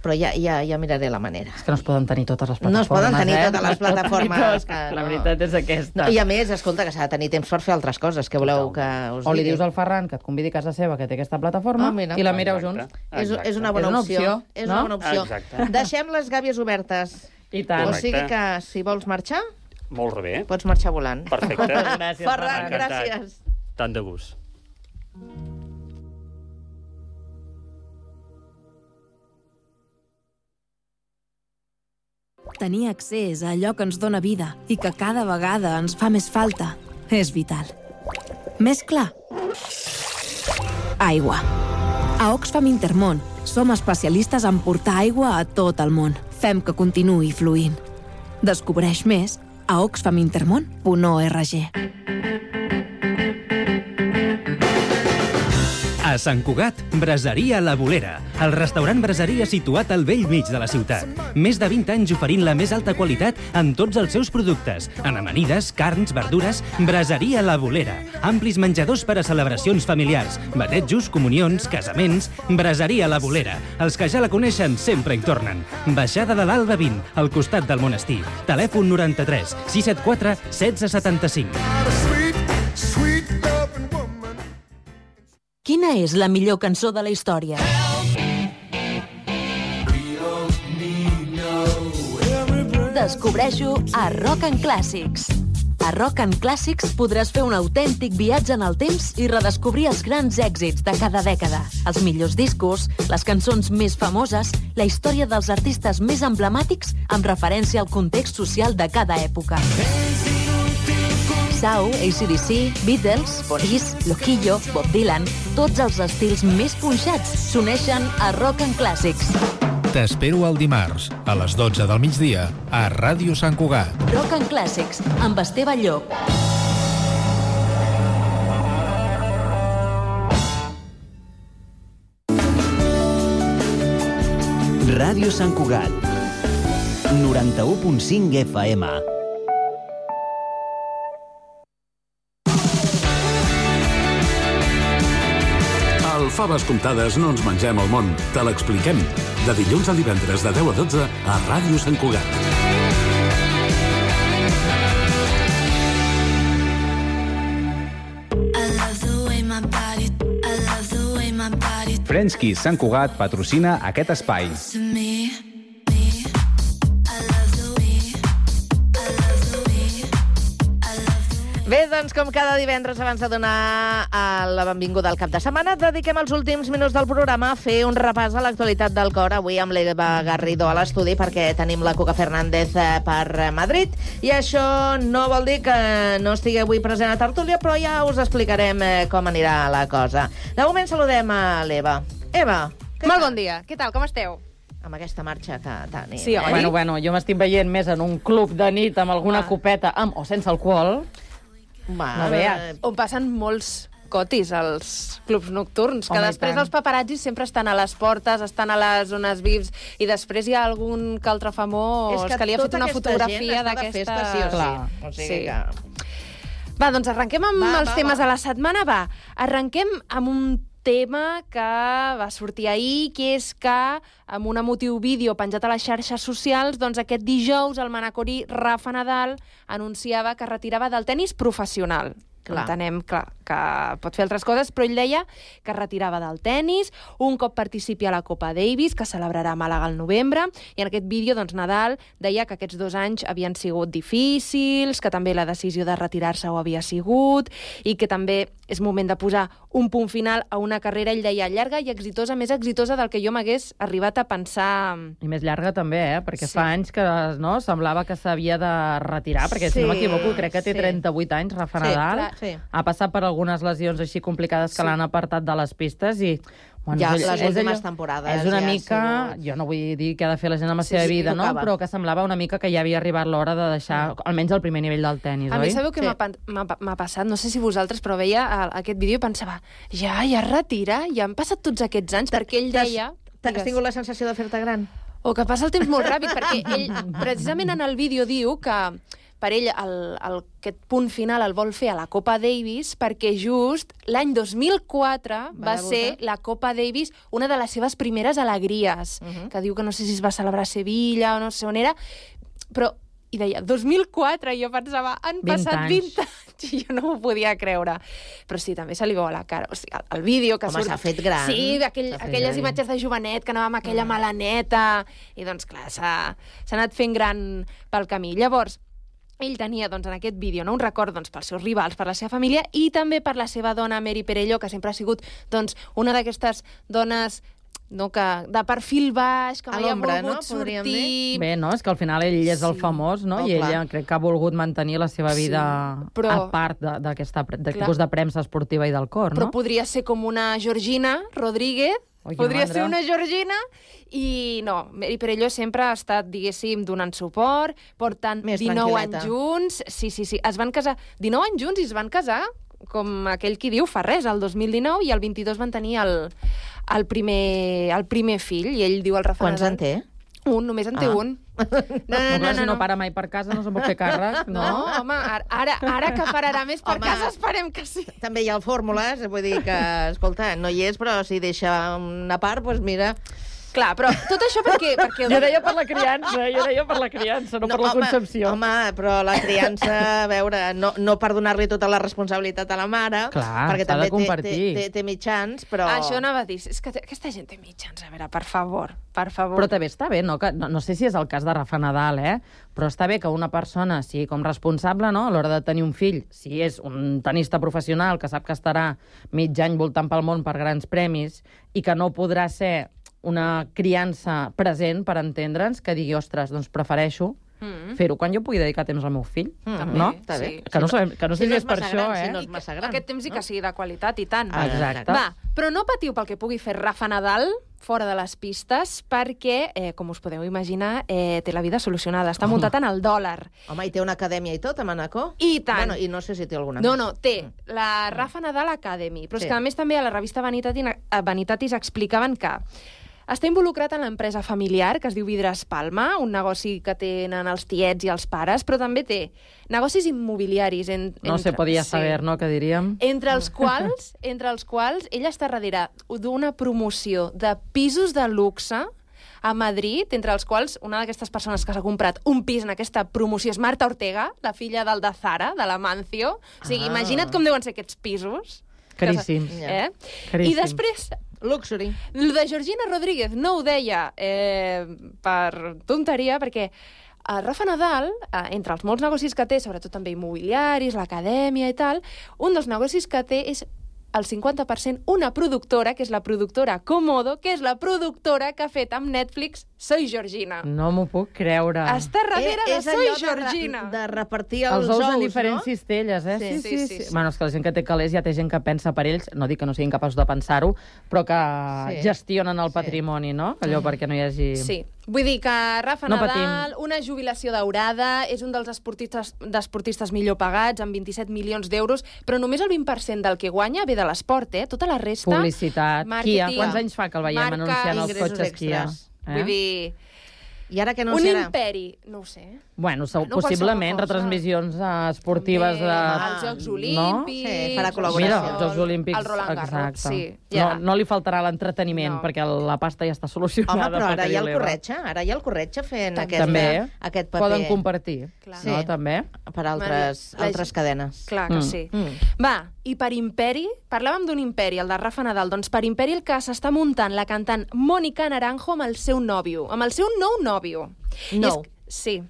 Però ja miraré la manera. És que no es poden tenir totes les plataformes. No es poden tenir totes les plataformes. La veritat és aquesta. I a més, escolta, que s'ha de tenir temps per fer altres coses. Que voleu que us digui? O li dius al Ferran que et convidi a casa seva, que té aquesta plataforma, i la mireu junts. És una bona opció. És una bona opció. Deixem les gàbies obertes. I tant. O sigui que, si vols marxar... Molt bé. Pots marxar volant. Perfecte. Gràcies, Ferran, gràcies. Tant de gust. Tenir accés a allò que ens dóna vida i que cada vegada ens fa més falta és vital. Més clar? Aigua. A Oxfam Intermón som especialistes en portar aigua a tot el món. Fem que continuï fluint. Descobreix més a oxfamintermon.org. A Sant Cugat, Braseria La Bolera, el restaurant braseria situat al bell mig de la ciutat. Més de 20 anys oferint la més alta qualitat en tots els seus productes. En amanides, carns, verdures, Braseria La Bolera. Amplis menjadors per a celebracions familiars, batejos, comunions, casaments. Braseria La Bolera. Els que ja la coneixen sempre hi tornen. Baixada de l'Alba 20, al costat del monestir. Telèfon 93 674 1675. Quina és la millor cançó de la història? Descobreix-ho a Rock and Classics. A Rock and Classics podràs fer un autèntic viatge en el temps i redescobrir els grans èxits de cada dècada, els millors discos, les cançons més famoses, la història dels artistes més emblemàtics amb referència al context social de cada època. Sau, AC/DC, Beatles, Police, Loquillo, Bob Dylan, tots els estils més punxats s'uneixen a Rock and Classics. T'espero el dimarts, a les 12 del migdia, a Ràdio Sant Cugat. Rock and Classics, amb Esteve Llop. Ràdio Sant Cugat. 91.5 FM. Al Faves Comptades no ens mengem el món, te l'expliquem. De dilluns a divendres de 10 a 12 a Ràdio Sant Cugat. Frenchkies Sant Cugat patrocina aquest espai. Bé, doncs, com cada divendres, abans de donar la benvinguda al cap de setmana, dediquem els últims minuts del programa a fer un repàs a l'actualitat del cor, avui amb l'Eva Garrido a l'estudi, perquè tenim la Cuca Fernández per Madrid, i això no vol dir que no estigui avui present a tertúlia, però ja us explicarem com anirà la cosa. De moment saludem a l'Eva. Eva, molt bon dia. Què tal, com esteu? Amb aquesta marxa que tenim. Sí, bueno, jo m'estic veient més en un club de nit amb alguna copeta amb o sense alcohol. No veus. On passen molts cotis als clubs nocturns, que després els paparazzis sempre estan a les portes, estan a les zones VIPs, i després hi ha algun que altre famós que li ha fet una fotografia d'aquesta... Sí o sí. O sigui que... Va, doncs arrenquem amb els temes de la setmana. Va, arrenquem amb un tema que va sortir ahir, que és que amb un emotiu vídeo penjat a les xarxes socials, doncs aquest dijous el manacorí Rafa Nadal anunciava que retirava del tennis professional. Entenem que pot fer altres coses, però ell deia que es retirava del tennis, un cop participi a la Copa Davis, que celebrarà a Màlaga al novembre, i en aquest vídeo doncs, Nadal deia que aquests 2 anys havien sigut difícils, que també la decisió de retirar-se ho havia sigut, i que també és moment de posar un punt final a una carrera, ell deia, llarga i exitosa, més exitosa del que jo m'hagués arribat a pensar. I més llarga també, perquè fa anys que semblava que s'havia de retirar, perquè si no m'equivoco, crec que té 38 anys, Rafa Nadal. Ha passat per algunes lesions així complicades que l'han apartat de les pistes i... Ja, les últimes temporades. És una mica... Jo no vull dir què ha de fer la gent amb la seva vida, no? Però que semblava una mica que ja havia arribat l'hora de deixar almenys el primer nivell del tennis, oi? A mi sabeu què m'ha passat? No sé si vosaltres, però veia aquest vídeo i pensava ja es retira? Ja han passat tots aquests anys? Perquè ell deia... Has tingut la sensació de fer-te gran? O que passa el temps molt ràpid, perquè ell, precisament en el vídeo, diu que per ell aquest punt final el vol fer a la Copa Davis perquè just l'any 2004 va ser la Copa Davis una de les seves primeres alegries, que diu que no sé si es va celebrar a Sevilla o no sé on era, però i deia, 2004, i jo pensava, han passat 20 anys, i jo no m'ho podia creure. Però sí, també se li veu a la cara. O sigui, el vídeo que surt... Home, s'ha fet gran. Sí, aquelles imatges de jovenet, que anava amb aquella malaneta, i doncs, clar, s'ha anat fent gran pel camí. Llavors, ell tenia doncs, en aquest vídeo un record doncs, pels seus rivals, per la seva família i també per la seva dona Mary Perello, que sempre ha sigut doncs, una d'aquestes dones de perfil baix, que mai ha volgut sortir... Bé, no? És que al final ell és el famós, no? I ella crec que ha volgut mantenir la seva vida a part d'aquest tipus de premsa esportiva i del cor, no? Però podria ser com una Georgina Rodríguez, podria ser una Georgina, i no, Mary Perello sempre ha estat, diguéssim, donant suport, portant 19 anys junts, sí, es van casar 19 anys junts i es van casar, com aquell qui diu, fa res, el 2019, i el 22 van tenir el primer fill, i ell diu al Rafa Nadal... Quants en té? Un, només en té un. Si no para mai per casa, no se'n pot fer càrrec, no? No, home, ara que pararà més per casa, esperem que sí. També hi ha el fórmules, vull dir que, escolta, no hi és, però si deixa una part, doncs mira... Clar, però tot això perquè... Jo deia per la criança, no per la concepció. Home, però la criança, a veure, no per donar-li tota la responsabilitat a la mare, perquè també té mitjans, però... Això anava a dir, és que aquesta gent té mitjans, a veure, per favor. Però també està bé, no? No sé si és el cas de Rafa Nadal, però està bé que una persona sigui com responsable, no?, a l'hora de tenir un fill, si és un tenista professional que sap que estarà mig any voltant pel món per grans premis i que no podrà ser una criança present, per entendre'ns, que digui, ostres, doncs prefereixo fer-ho quan jo pugui dedicar temps al meu fill, no? Està bé. Que no sé si és per això, Si no és massa gran. Aquest temps i que sigui de qualitat, i tant. Exacte. Va, però no patiu pel que pugui fer Rafa Nadal fora de les pistes, perquè, com us podeu imaginar, té la vida solucionada. Està muntat en el dòlar. Home, i té una acadèmia i tot, a Manacor? I tant. Bueno, i no sé si té alguna més. No, té la Rafa Nadal Academy, però és que a més també a la revista Vanitatis explicaven que està involucrat en l'empresa familiar, que es diu Vidres Palma, un negoci que tenen els tiets i els pares, però també té negocis immobiliaris. No se podia saber, no?, que diríem. Entre els quals ella està darrere d'una promoció de pisos de luxe a Madrid, entre els quals una d'aquestes persones que s'ha comprat un pis en aquesta promoció és Marta Ortega, la filla del de Zara, de l'Amancio. O sigui, imagina't com deuen ser aquests pisos. Caríssims. I després... Luxury. El de Georgina Rodríguez no ho deia per tonteria, perquè Rafa Nadal, entre els molts negocis que té, sobretot també immobiliaris, l'acadèmia i tal, un dels negocis que té és el 50% una productora, que és la productora Komodo, que és la productora que ha fet amb Netflix Soy Georgina. No m'ho puc creure. Està darrere de Soy Georgina. De repartir els ous, en diferents cistelles, Sí. Bueno, és que la gent que té calés ja té gent que pensa per ells, no dic que no siguin capaços de pensar-ho, però que gestionen el patrimoni, no? Allò perquè no hi hagi... Sí. Vull dir que Rafa Nadal, una jubilació daurada, és un dels esportistes millor pagats, amb 27 milions d'euros, però només el 20% del que guanya ve de l'esport, Tota la resta... Publicitat. Kia. Quants anys fa que el veiem anunciant els cotxes Kia? Vull dir... I ara què Un anunciarà? imperi, no ho sé. Bueno, No, possiblement qualsevol cosa. retransmissions esportives de... Els Jocs Olímpics... Sí, farà col·laboració. Mira, els Jocs Olímpics, el Roland Garros, exacte. sí. Ja. No li faltarà l'entreteniment, perquè la pasta ja està solucionada. Home, però ara pel hi ha el Carioleva. corretge, fent També aquest paper. poden compartir, no? També. Per altres cadenes. Clar que sí. Va, i per imperi, parlàvem d'un imperi, el de Rafa Nadal, doncs per imperi el que s'està muntant la cantant Mónica Naranjo amb el seu nòvio, amb el seu nou nòvio. Nou? Sí,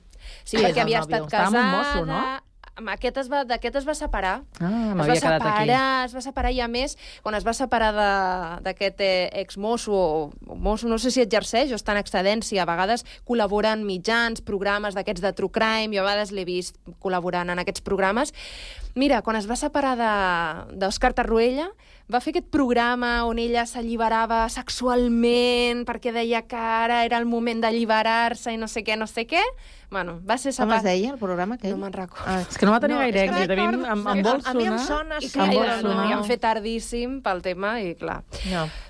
Qui és perquè el havia nòvio? estat Estava amb un casada... mosso, no? D'aquest es va separar. m'havia quedat aquí. Es va separar, i a més, quan es va separar d'aquest exmosso, o mosso, no sé si exerceix o està en excedència, a vegades col·labora en mitjans, programes d'aquests de True Crime, jo a vegades l'he vist col·laborant en aquests programes. Mira, quan es va separar d'Òscar Tarruella, va fer aquest programa on ella s'alliberava sexualment perquè deia que ara era el moment d'alliberar-se i no sé què. Bueno, va ser Com es deia el programa aquell? No me'n recordo. És que no va tenir gaire èxit. A mi em vol sonar. A mi em sona... I clar, l'havíem fet tardíssim pel tema i clar.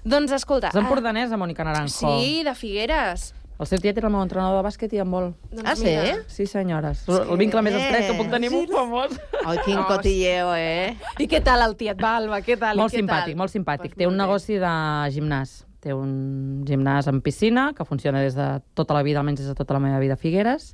Doncs escolta... És empordanesa, Mónica Naranjo. Sí, de Figueres. El seu tiet era el meu entrenador de bàsquet i em vol. Ah, sí? Sí, senyores. El vincle més estret que puc tenir amb un famós. Ai, quin cotilleo, I què tal el tiet Balba? Què tal? Molt simpàtic, molt simpàtic. Té un negoci de gimnàs. Té un gimnàs amb piscina que funciona des de tota la vida, almenys des de tota la meva vida a Figueres.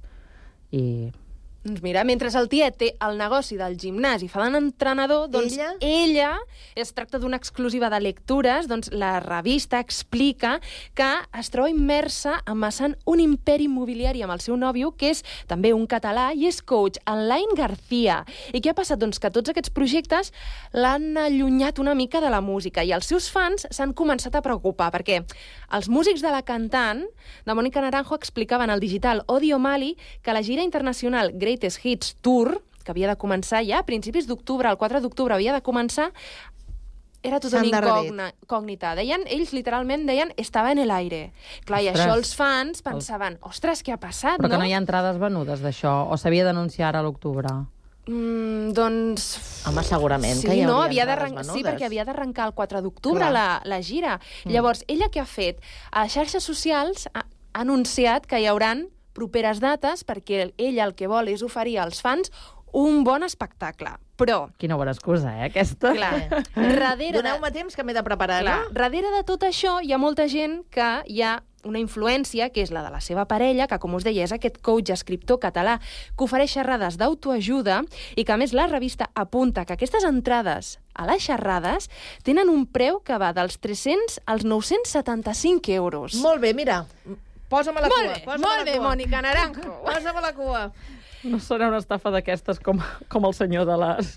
I... Doncs mira, mentre el tiet té el negoci del gimnàs i fa d'entrenador, doncs ella es tracta d'una exclusiva de lectures, doncs la revista explica que es troba immersa amassant un imperi immobiliari amb el seu nòvio, que és també un català i és coach, en Lain García. I què ha passat? Doncs que tots aquests projectes l'han allunyat una mica de la música i els seus fans s'han començat a preocupar perquè els músics de la cantant, de Mónica Naranjo, explicaven al digital Odio Mali que la gira internacional Greatest Hits Tour, que havia de començar ja a principis d'octubre, el 4 d'octubre havia de començar, era tot una incògnita. Ells literalment deien estava en el aire. Clar, i això els fans pensaven, ostres, què ha passat, no? Però que no hi ha entrades venudes d'això, o s'havia d'anunciar ara a l'octubre? Doncs... Home, segurament que hi hauria entrades venudes. Sí, perquè havia d'arrencar el 4 d'octubre la gira. Llavors, ella què ha fet? A les xarxes socials ha anunciat que hi hauran properes dates perquè ella el que vol és oferir als fans un bon espectacle. Però... Quina bona excusa, aquesta? Clar. Doneu-me temps que m'he de preparar, no? Darrere de tot això hi ha molta gent que hi ha una influència, que és la de la seva parella, que, com us deia, és aquest coach escriptor català que ofereix xerrades d'autoajuda i que, a més, la revista apunta que aquestes entrades a les xerrades tenen un preu que va dels 300 als 975 euros. Molt bé, mira, posa'm a la cua. Molt bé, Mónica Naranjo. Posa'm a la cua. No serà una estafa d'aquestes com el senyor de les...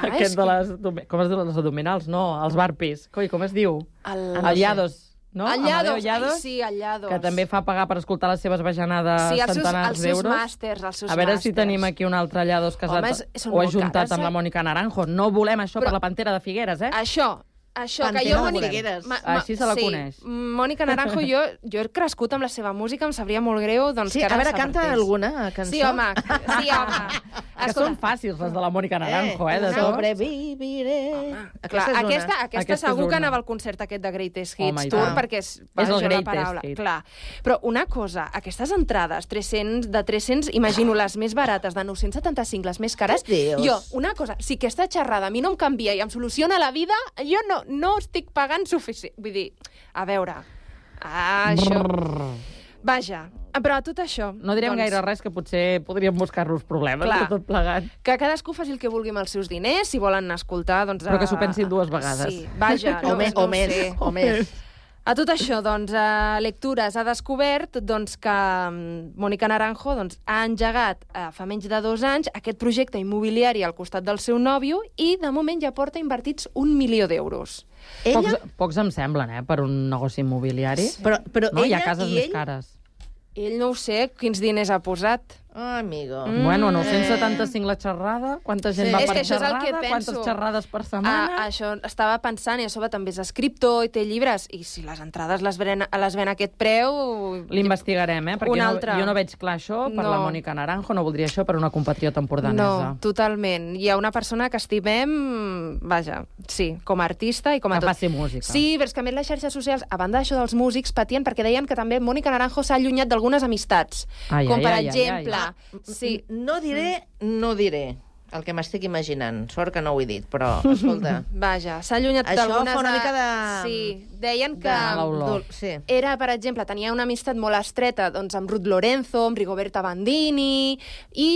Aquest de les... Com es diu? Les abdominals, no? Els barpis. Com es diu? El Llados. No? El Llados, sí, el Llados. Que també fa pagar per escoltar les seves bajanades centenars d'euros. Sí, els seus màsters, els seus màsters. A veure si tenim aquí un altre Llados casat o ajuntat amb la Mónica Naranjo. No volem això per la Pantera de Figueres, eh? Això, que jo... Així se la coneix. Mónica Naranjo, jo he crescut amb la seva música, em sabria molt greu, doncs, que ara s'apartés. Canta alguna cançó? Sí, home. Que són fàcils, les de la Mónica Naranjo, eh? Sobreviviré. Aquesta segur que anava al concert aquest de Greatest Hits Tour, perquè és el Greatest Hits. Clar. Però una cosa, aquestes entrades, de 300, imagino les més barates, de 975, les més cares, jo, una cosa, si aquesta xerrada a mi no em canvia i em soluciona la vida, jo no estic pagant suficient. Vull dir, a veure, això... Vaja, però a tot això... No direm gaire res, que potser podríem buscar-nos problemes de tot plegat. Que cadascú faci el que vulgui amb els seus diners, si volen escoltar, doncs... Però que s'ho pensin dues vegades. Sí, vaja, o més. A tot això, doncs, Lectures ha descobert que Mónica Naranjo ha engegat fa menys de 2 anys aquest projecte immobiliari al costat del seu nòvio i, de moment, ja porta invertits 1 milió d'euros. Pocs em semblen, per un negoci immobiliari. Però no? Hi ha cases més cares. Ell no ho sé, quins diners ha posat. Amigo. Bueno, 975 la xerrada, quanta gent va per xerrada, quantes xerrades per setmana... Això estava pensant, i a sobre també és escriptor i té llibres, i si les entrades les ven a aquest preu... L'investigarem, perquè jo no veig clar això per la Mònica Naranjo, no voldria això per una compatriota empordanesa. No, totalment. Hi ha una persona que estimem, vaja, sí, com a artista i com a tot. Que faci música. Sí, però és que a més les xarxes socials, a banda d'això dels músics, patien perquè deien que també Mònica Naranjo s'ha allunyat d'algunes amistats. Com per exemple... Sí. No diré el que m'estic imaginant. Sort que no ho he dit, però, escolta... Vaja, s'ha allunyat d'algunes... Això fa una mica de... Sí, deien que... Era, per exemple, tenia una amistat molt estreta amb Ruth Lorenzo, amb Rigoberta Bandini, i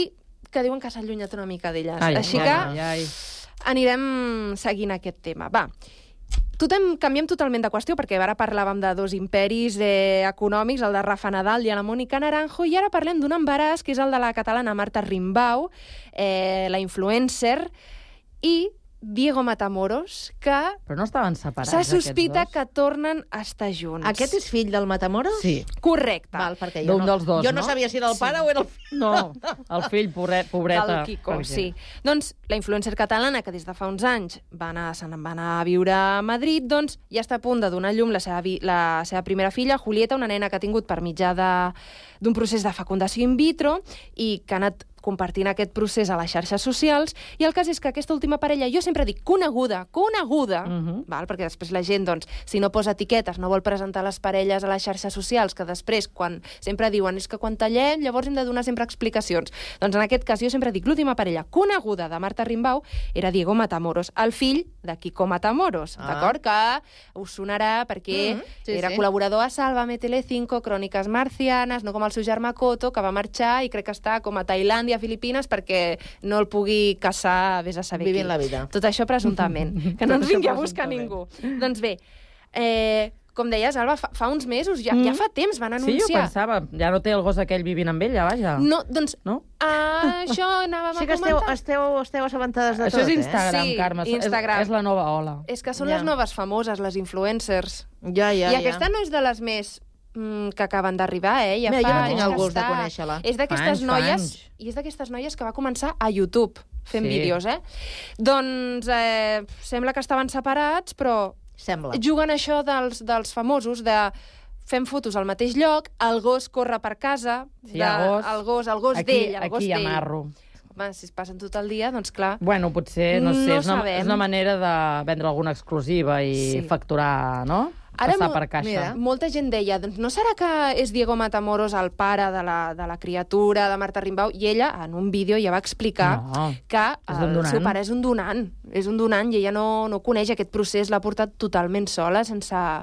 que diuen que s'ha allunyat una mica d'elles. Així que anirem seguint aquest tema. Va, canviem totalment de qüestió, perquè ara parlàvem de dos imperis econòmics, el de Rafa Nadal i la Mònica Naranjo, i ara parlem d'un embaràs, que és el de la catalana Marta Rimbaud, la influencer, i Diego Matamoros, que... Però no estaven separats, se sospita que tornen a estar junts. Aquest és fill del Matamoros? Sí. Correcte. D'un dels dos, no? Jo no sabia si era el pare o era el fill. No, el fill, pobreta. Del Quico, sí. Doncs la influencer catalana, que des de fa uns anys se'n va anar a viure a Madrid, doncs ja està a punt de donar a llum la seva primera filla, Julieta, una nena que ha tingut per mitjà d'un procés de fecundació in vitro i que ha anat compartint aquest procés a les xarxes socials, i el cas és que aquesta última parella, jo sempre dic coneguda, perquè després la gent, doncs, si no posa etiquetes, no vol presentar les parelles a les xarxes socials, que després, quan sempre diuen, és que quan tallem, llavors hem de donar sempre explicacions. Doncs en aquest cas, jo sempre dic, l'última parella coneguda de Marta Rimbaud era Diego Matamoros, el fill de Quico Matamoros, d'acord? Que us sonarà perquè era col·laborador a Sálvame, Telecinco, Cròniques Marcianes, no com el seu germà Coto, que va marxar i crec que està com a Tailàndia, a Filipines, perquè no el pugui caçar, vés a saber Vivint la vida. Tot això presumptament. Que no ens vingui a buscar ningú. Doncs bé, com deies, Alba, fa uns mesos, ja fa temps van anunciar... Sí, jo pensava, ja no té el gos aquell vivint amb ella, vaja. No, doncs, això anàvem a comentar. Sí que esteu assabentades de tot, Això és Instagram, Carme, és la nova ola. És que són les noves famoses, les influencers. I Ja. aquesta no és de les més que acaben d'arribar, Mira, jo no tinc el gust de conèixer-la. És d'aquestes noies, i és d'aquestes noies que va començar a YouTube fent vídeos, Doncs sembla que estaven separats, però juguen això dels famosos, de fem fotos al mateix lloc, el gos corre per casa, el gos d'ell, Aquí hi ha marro. Home, si es passen tot el dia, doncs clar... Bueno, potser, no sé, és una manera de vendre alguna exclusiva i facturar, no? Passar per caixa. Mira, molta gent deia, doncs no serà que és Diego Matamoros el pare de la criatura de Marta Rimbaud? I ella, en un vídeo, ja va explicar que el seu pare és un donant. És un donant i ella no coneix aquest procés, l'ha portat totalment sola, sense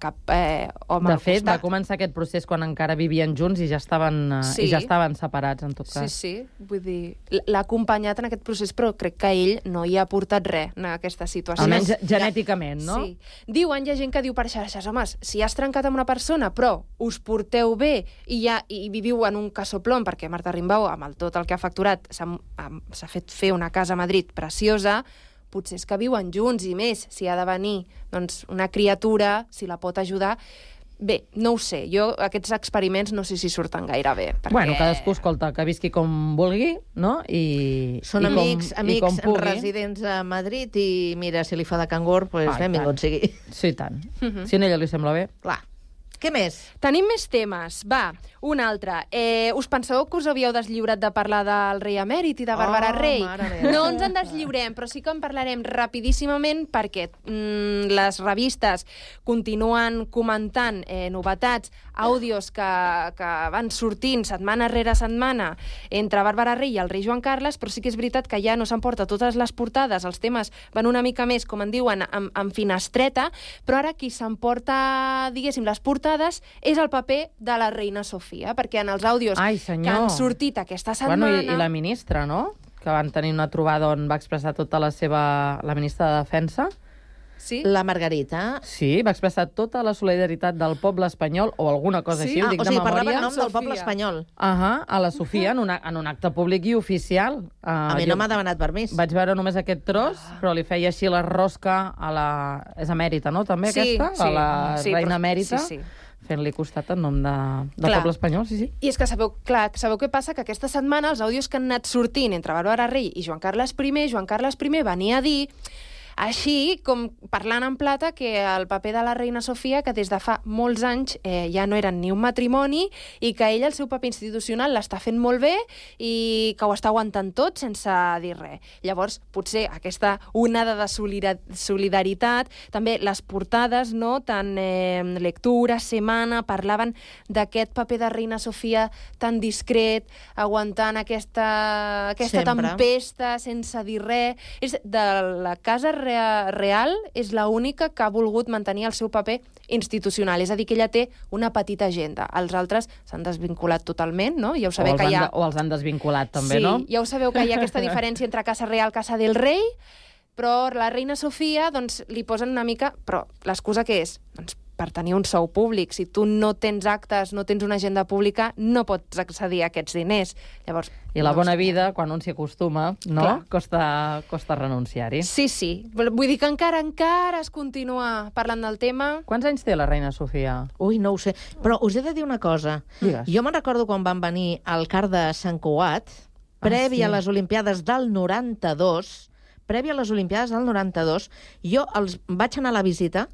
cap home al costat. De fet, va començar aquest procés quan encara vivien junts i ja estaven separats, en tot cas. Sí, vull dir, l'ha acompanyat en aquest procés, però crec que ell no hi ha portat res en aquesta situació. Almenys genèticament, no? Sí. Diuen, hi ha gent que diu per xarxes, home, si has trencat amb una persona, però us porteu bé i viviu en un casoplom, perquè Marta Rimbaud, amb tot el que ha facturat, s'ha fet fer una casa a Madrid preciosa, potser és que viuen junts i més, si ha de venir doncs, una criatura, si la pot ajudar... Bé, no ho sé, jo aquests experiments no sé si surten gaire bé. Perquè... Bueno, cadascú, escolta, que visqui com vulgui, no? Són amics residents a Madrid i mira, si li fa de cangur, doncs benvingut sigui. Sí, tant. Si a ella li sembla bé. Clar. Què més? Tenim més temes. Va, un altre. Us penseu que us havíeu deslliurat de parlar del rei emèrit i de Bàrbara Rey? No ens en deslliurem, però sí que en parlarem rapidíssimament perquè les revistes continuen comentant novetats, àudios que van sortint setmana rere setmana entre Bàrbara Rey i el rei Joan Carles, però sí que és veritat que ja no s'emporta totes les portades, els temes van una mica més, com en diuen, en finestreta, però ara qui s'emporta, diguéssim, les portades és el paper de la reina Sofia, perquè en els àudios que han sortit aquesta setmana... Bueno, i la ministra, no?, que van tenir una trobada on va expressar tota la ministra de Defensa. Sí? La Margarita. Sí, va expressar tota la solidaritat del poble espanyol o alguna cosa així, ho dic de memòria. Parlava en nom del poble espanyol. A la Sofia, en un acte públic i oficial. A mi no m'ha demanat permís. Vaig veure només aquest tros, però li feia així la rosca a la... És emèrita, no?, també, aquesta? A la reina emèrita. fent-li costat en nom del poble espanyol, sí. I és que sabeu què passa? Que aquesta setmana els àudios que han anat sortint entre Bàrbara Rei i Joan Carles I venia a dir, així com parlant en plata, que el paper de la reina Sofia, que des de fa molts anys ja no eren ni un matrimoni i que ella el seu paper institucional l'està fent molt bé i que ho està aguantant tot sense dir res. Llavors, potser aquesta onada de solidaritat, també les portades, no? Tant Lectura, Semana, parlaven d'aquest paper de reina Sofia tan discret, aguantant aquesta tempesta sense dir res. De la casa real és l'única que ha volgut mantenir el seu paper institucional, és a dir, que ella té una petita agenda. Els altres s'han desvinculat totalment, no? Ja ho sabeu que hi ha... O els han desvinculat, també, no? Sí, ja ho sabeu que hi ha aquesta diferència entre Casa Real, Casa del Rei, però la reina Sofia, doncs, li posen una mica... Però l'excusa què és? Doncs per tenir un sou públic. Si tu no tens actes, no tens una agenda pública, no pots accedir a aquests diners. Llavors, i la bona vida, quan un s'hi acostuma, no? Costa renunciar-hi. Sí. Vull dir que encara es continua parlant del tema. Quants anys té la reina Sofia? Ui, no ho sé. Però us he de dir una cosa. Digues. Jo me'n recordo quan van venir al CAR de Sant Cugat, previ a les Olimpiades del 92, jo els vaig anar a la visita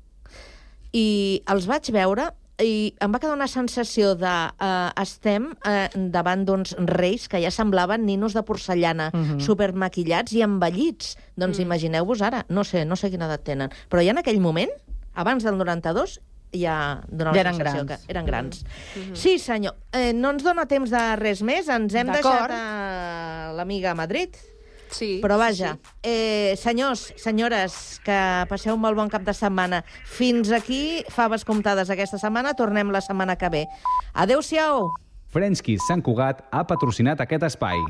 i els vaig veure i em va quedar una sensació de estem davant d'uns reis que ja semblaven ninos de porcellana, supermaquillats i envellits. Doncs imagineu-vos ara, no sé quina edat tenen, però ja en aquell moment, abans del 92, ja donava la sensació que eren grans. Sí, senyor. No ens dona temps de res més, ens hem deixat l'amiga a Madrid. Sí, però vaja, senyors, senyores, que passeu un molt bon cap de setmana. Fins aquí, faves comptades aquesta setmana, tornem la setmana que ve. Adéu-siau! Frenchkies Sant Cugat ha patrocinat aquest espai.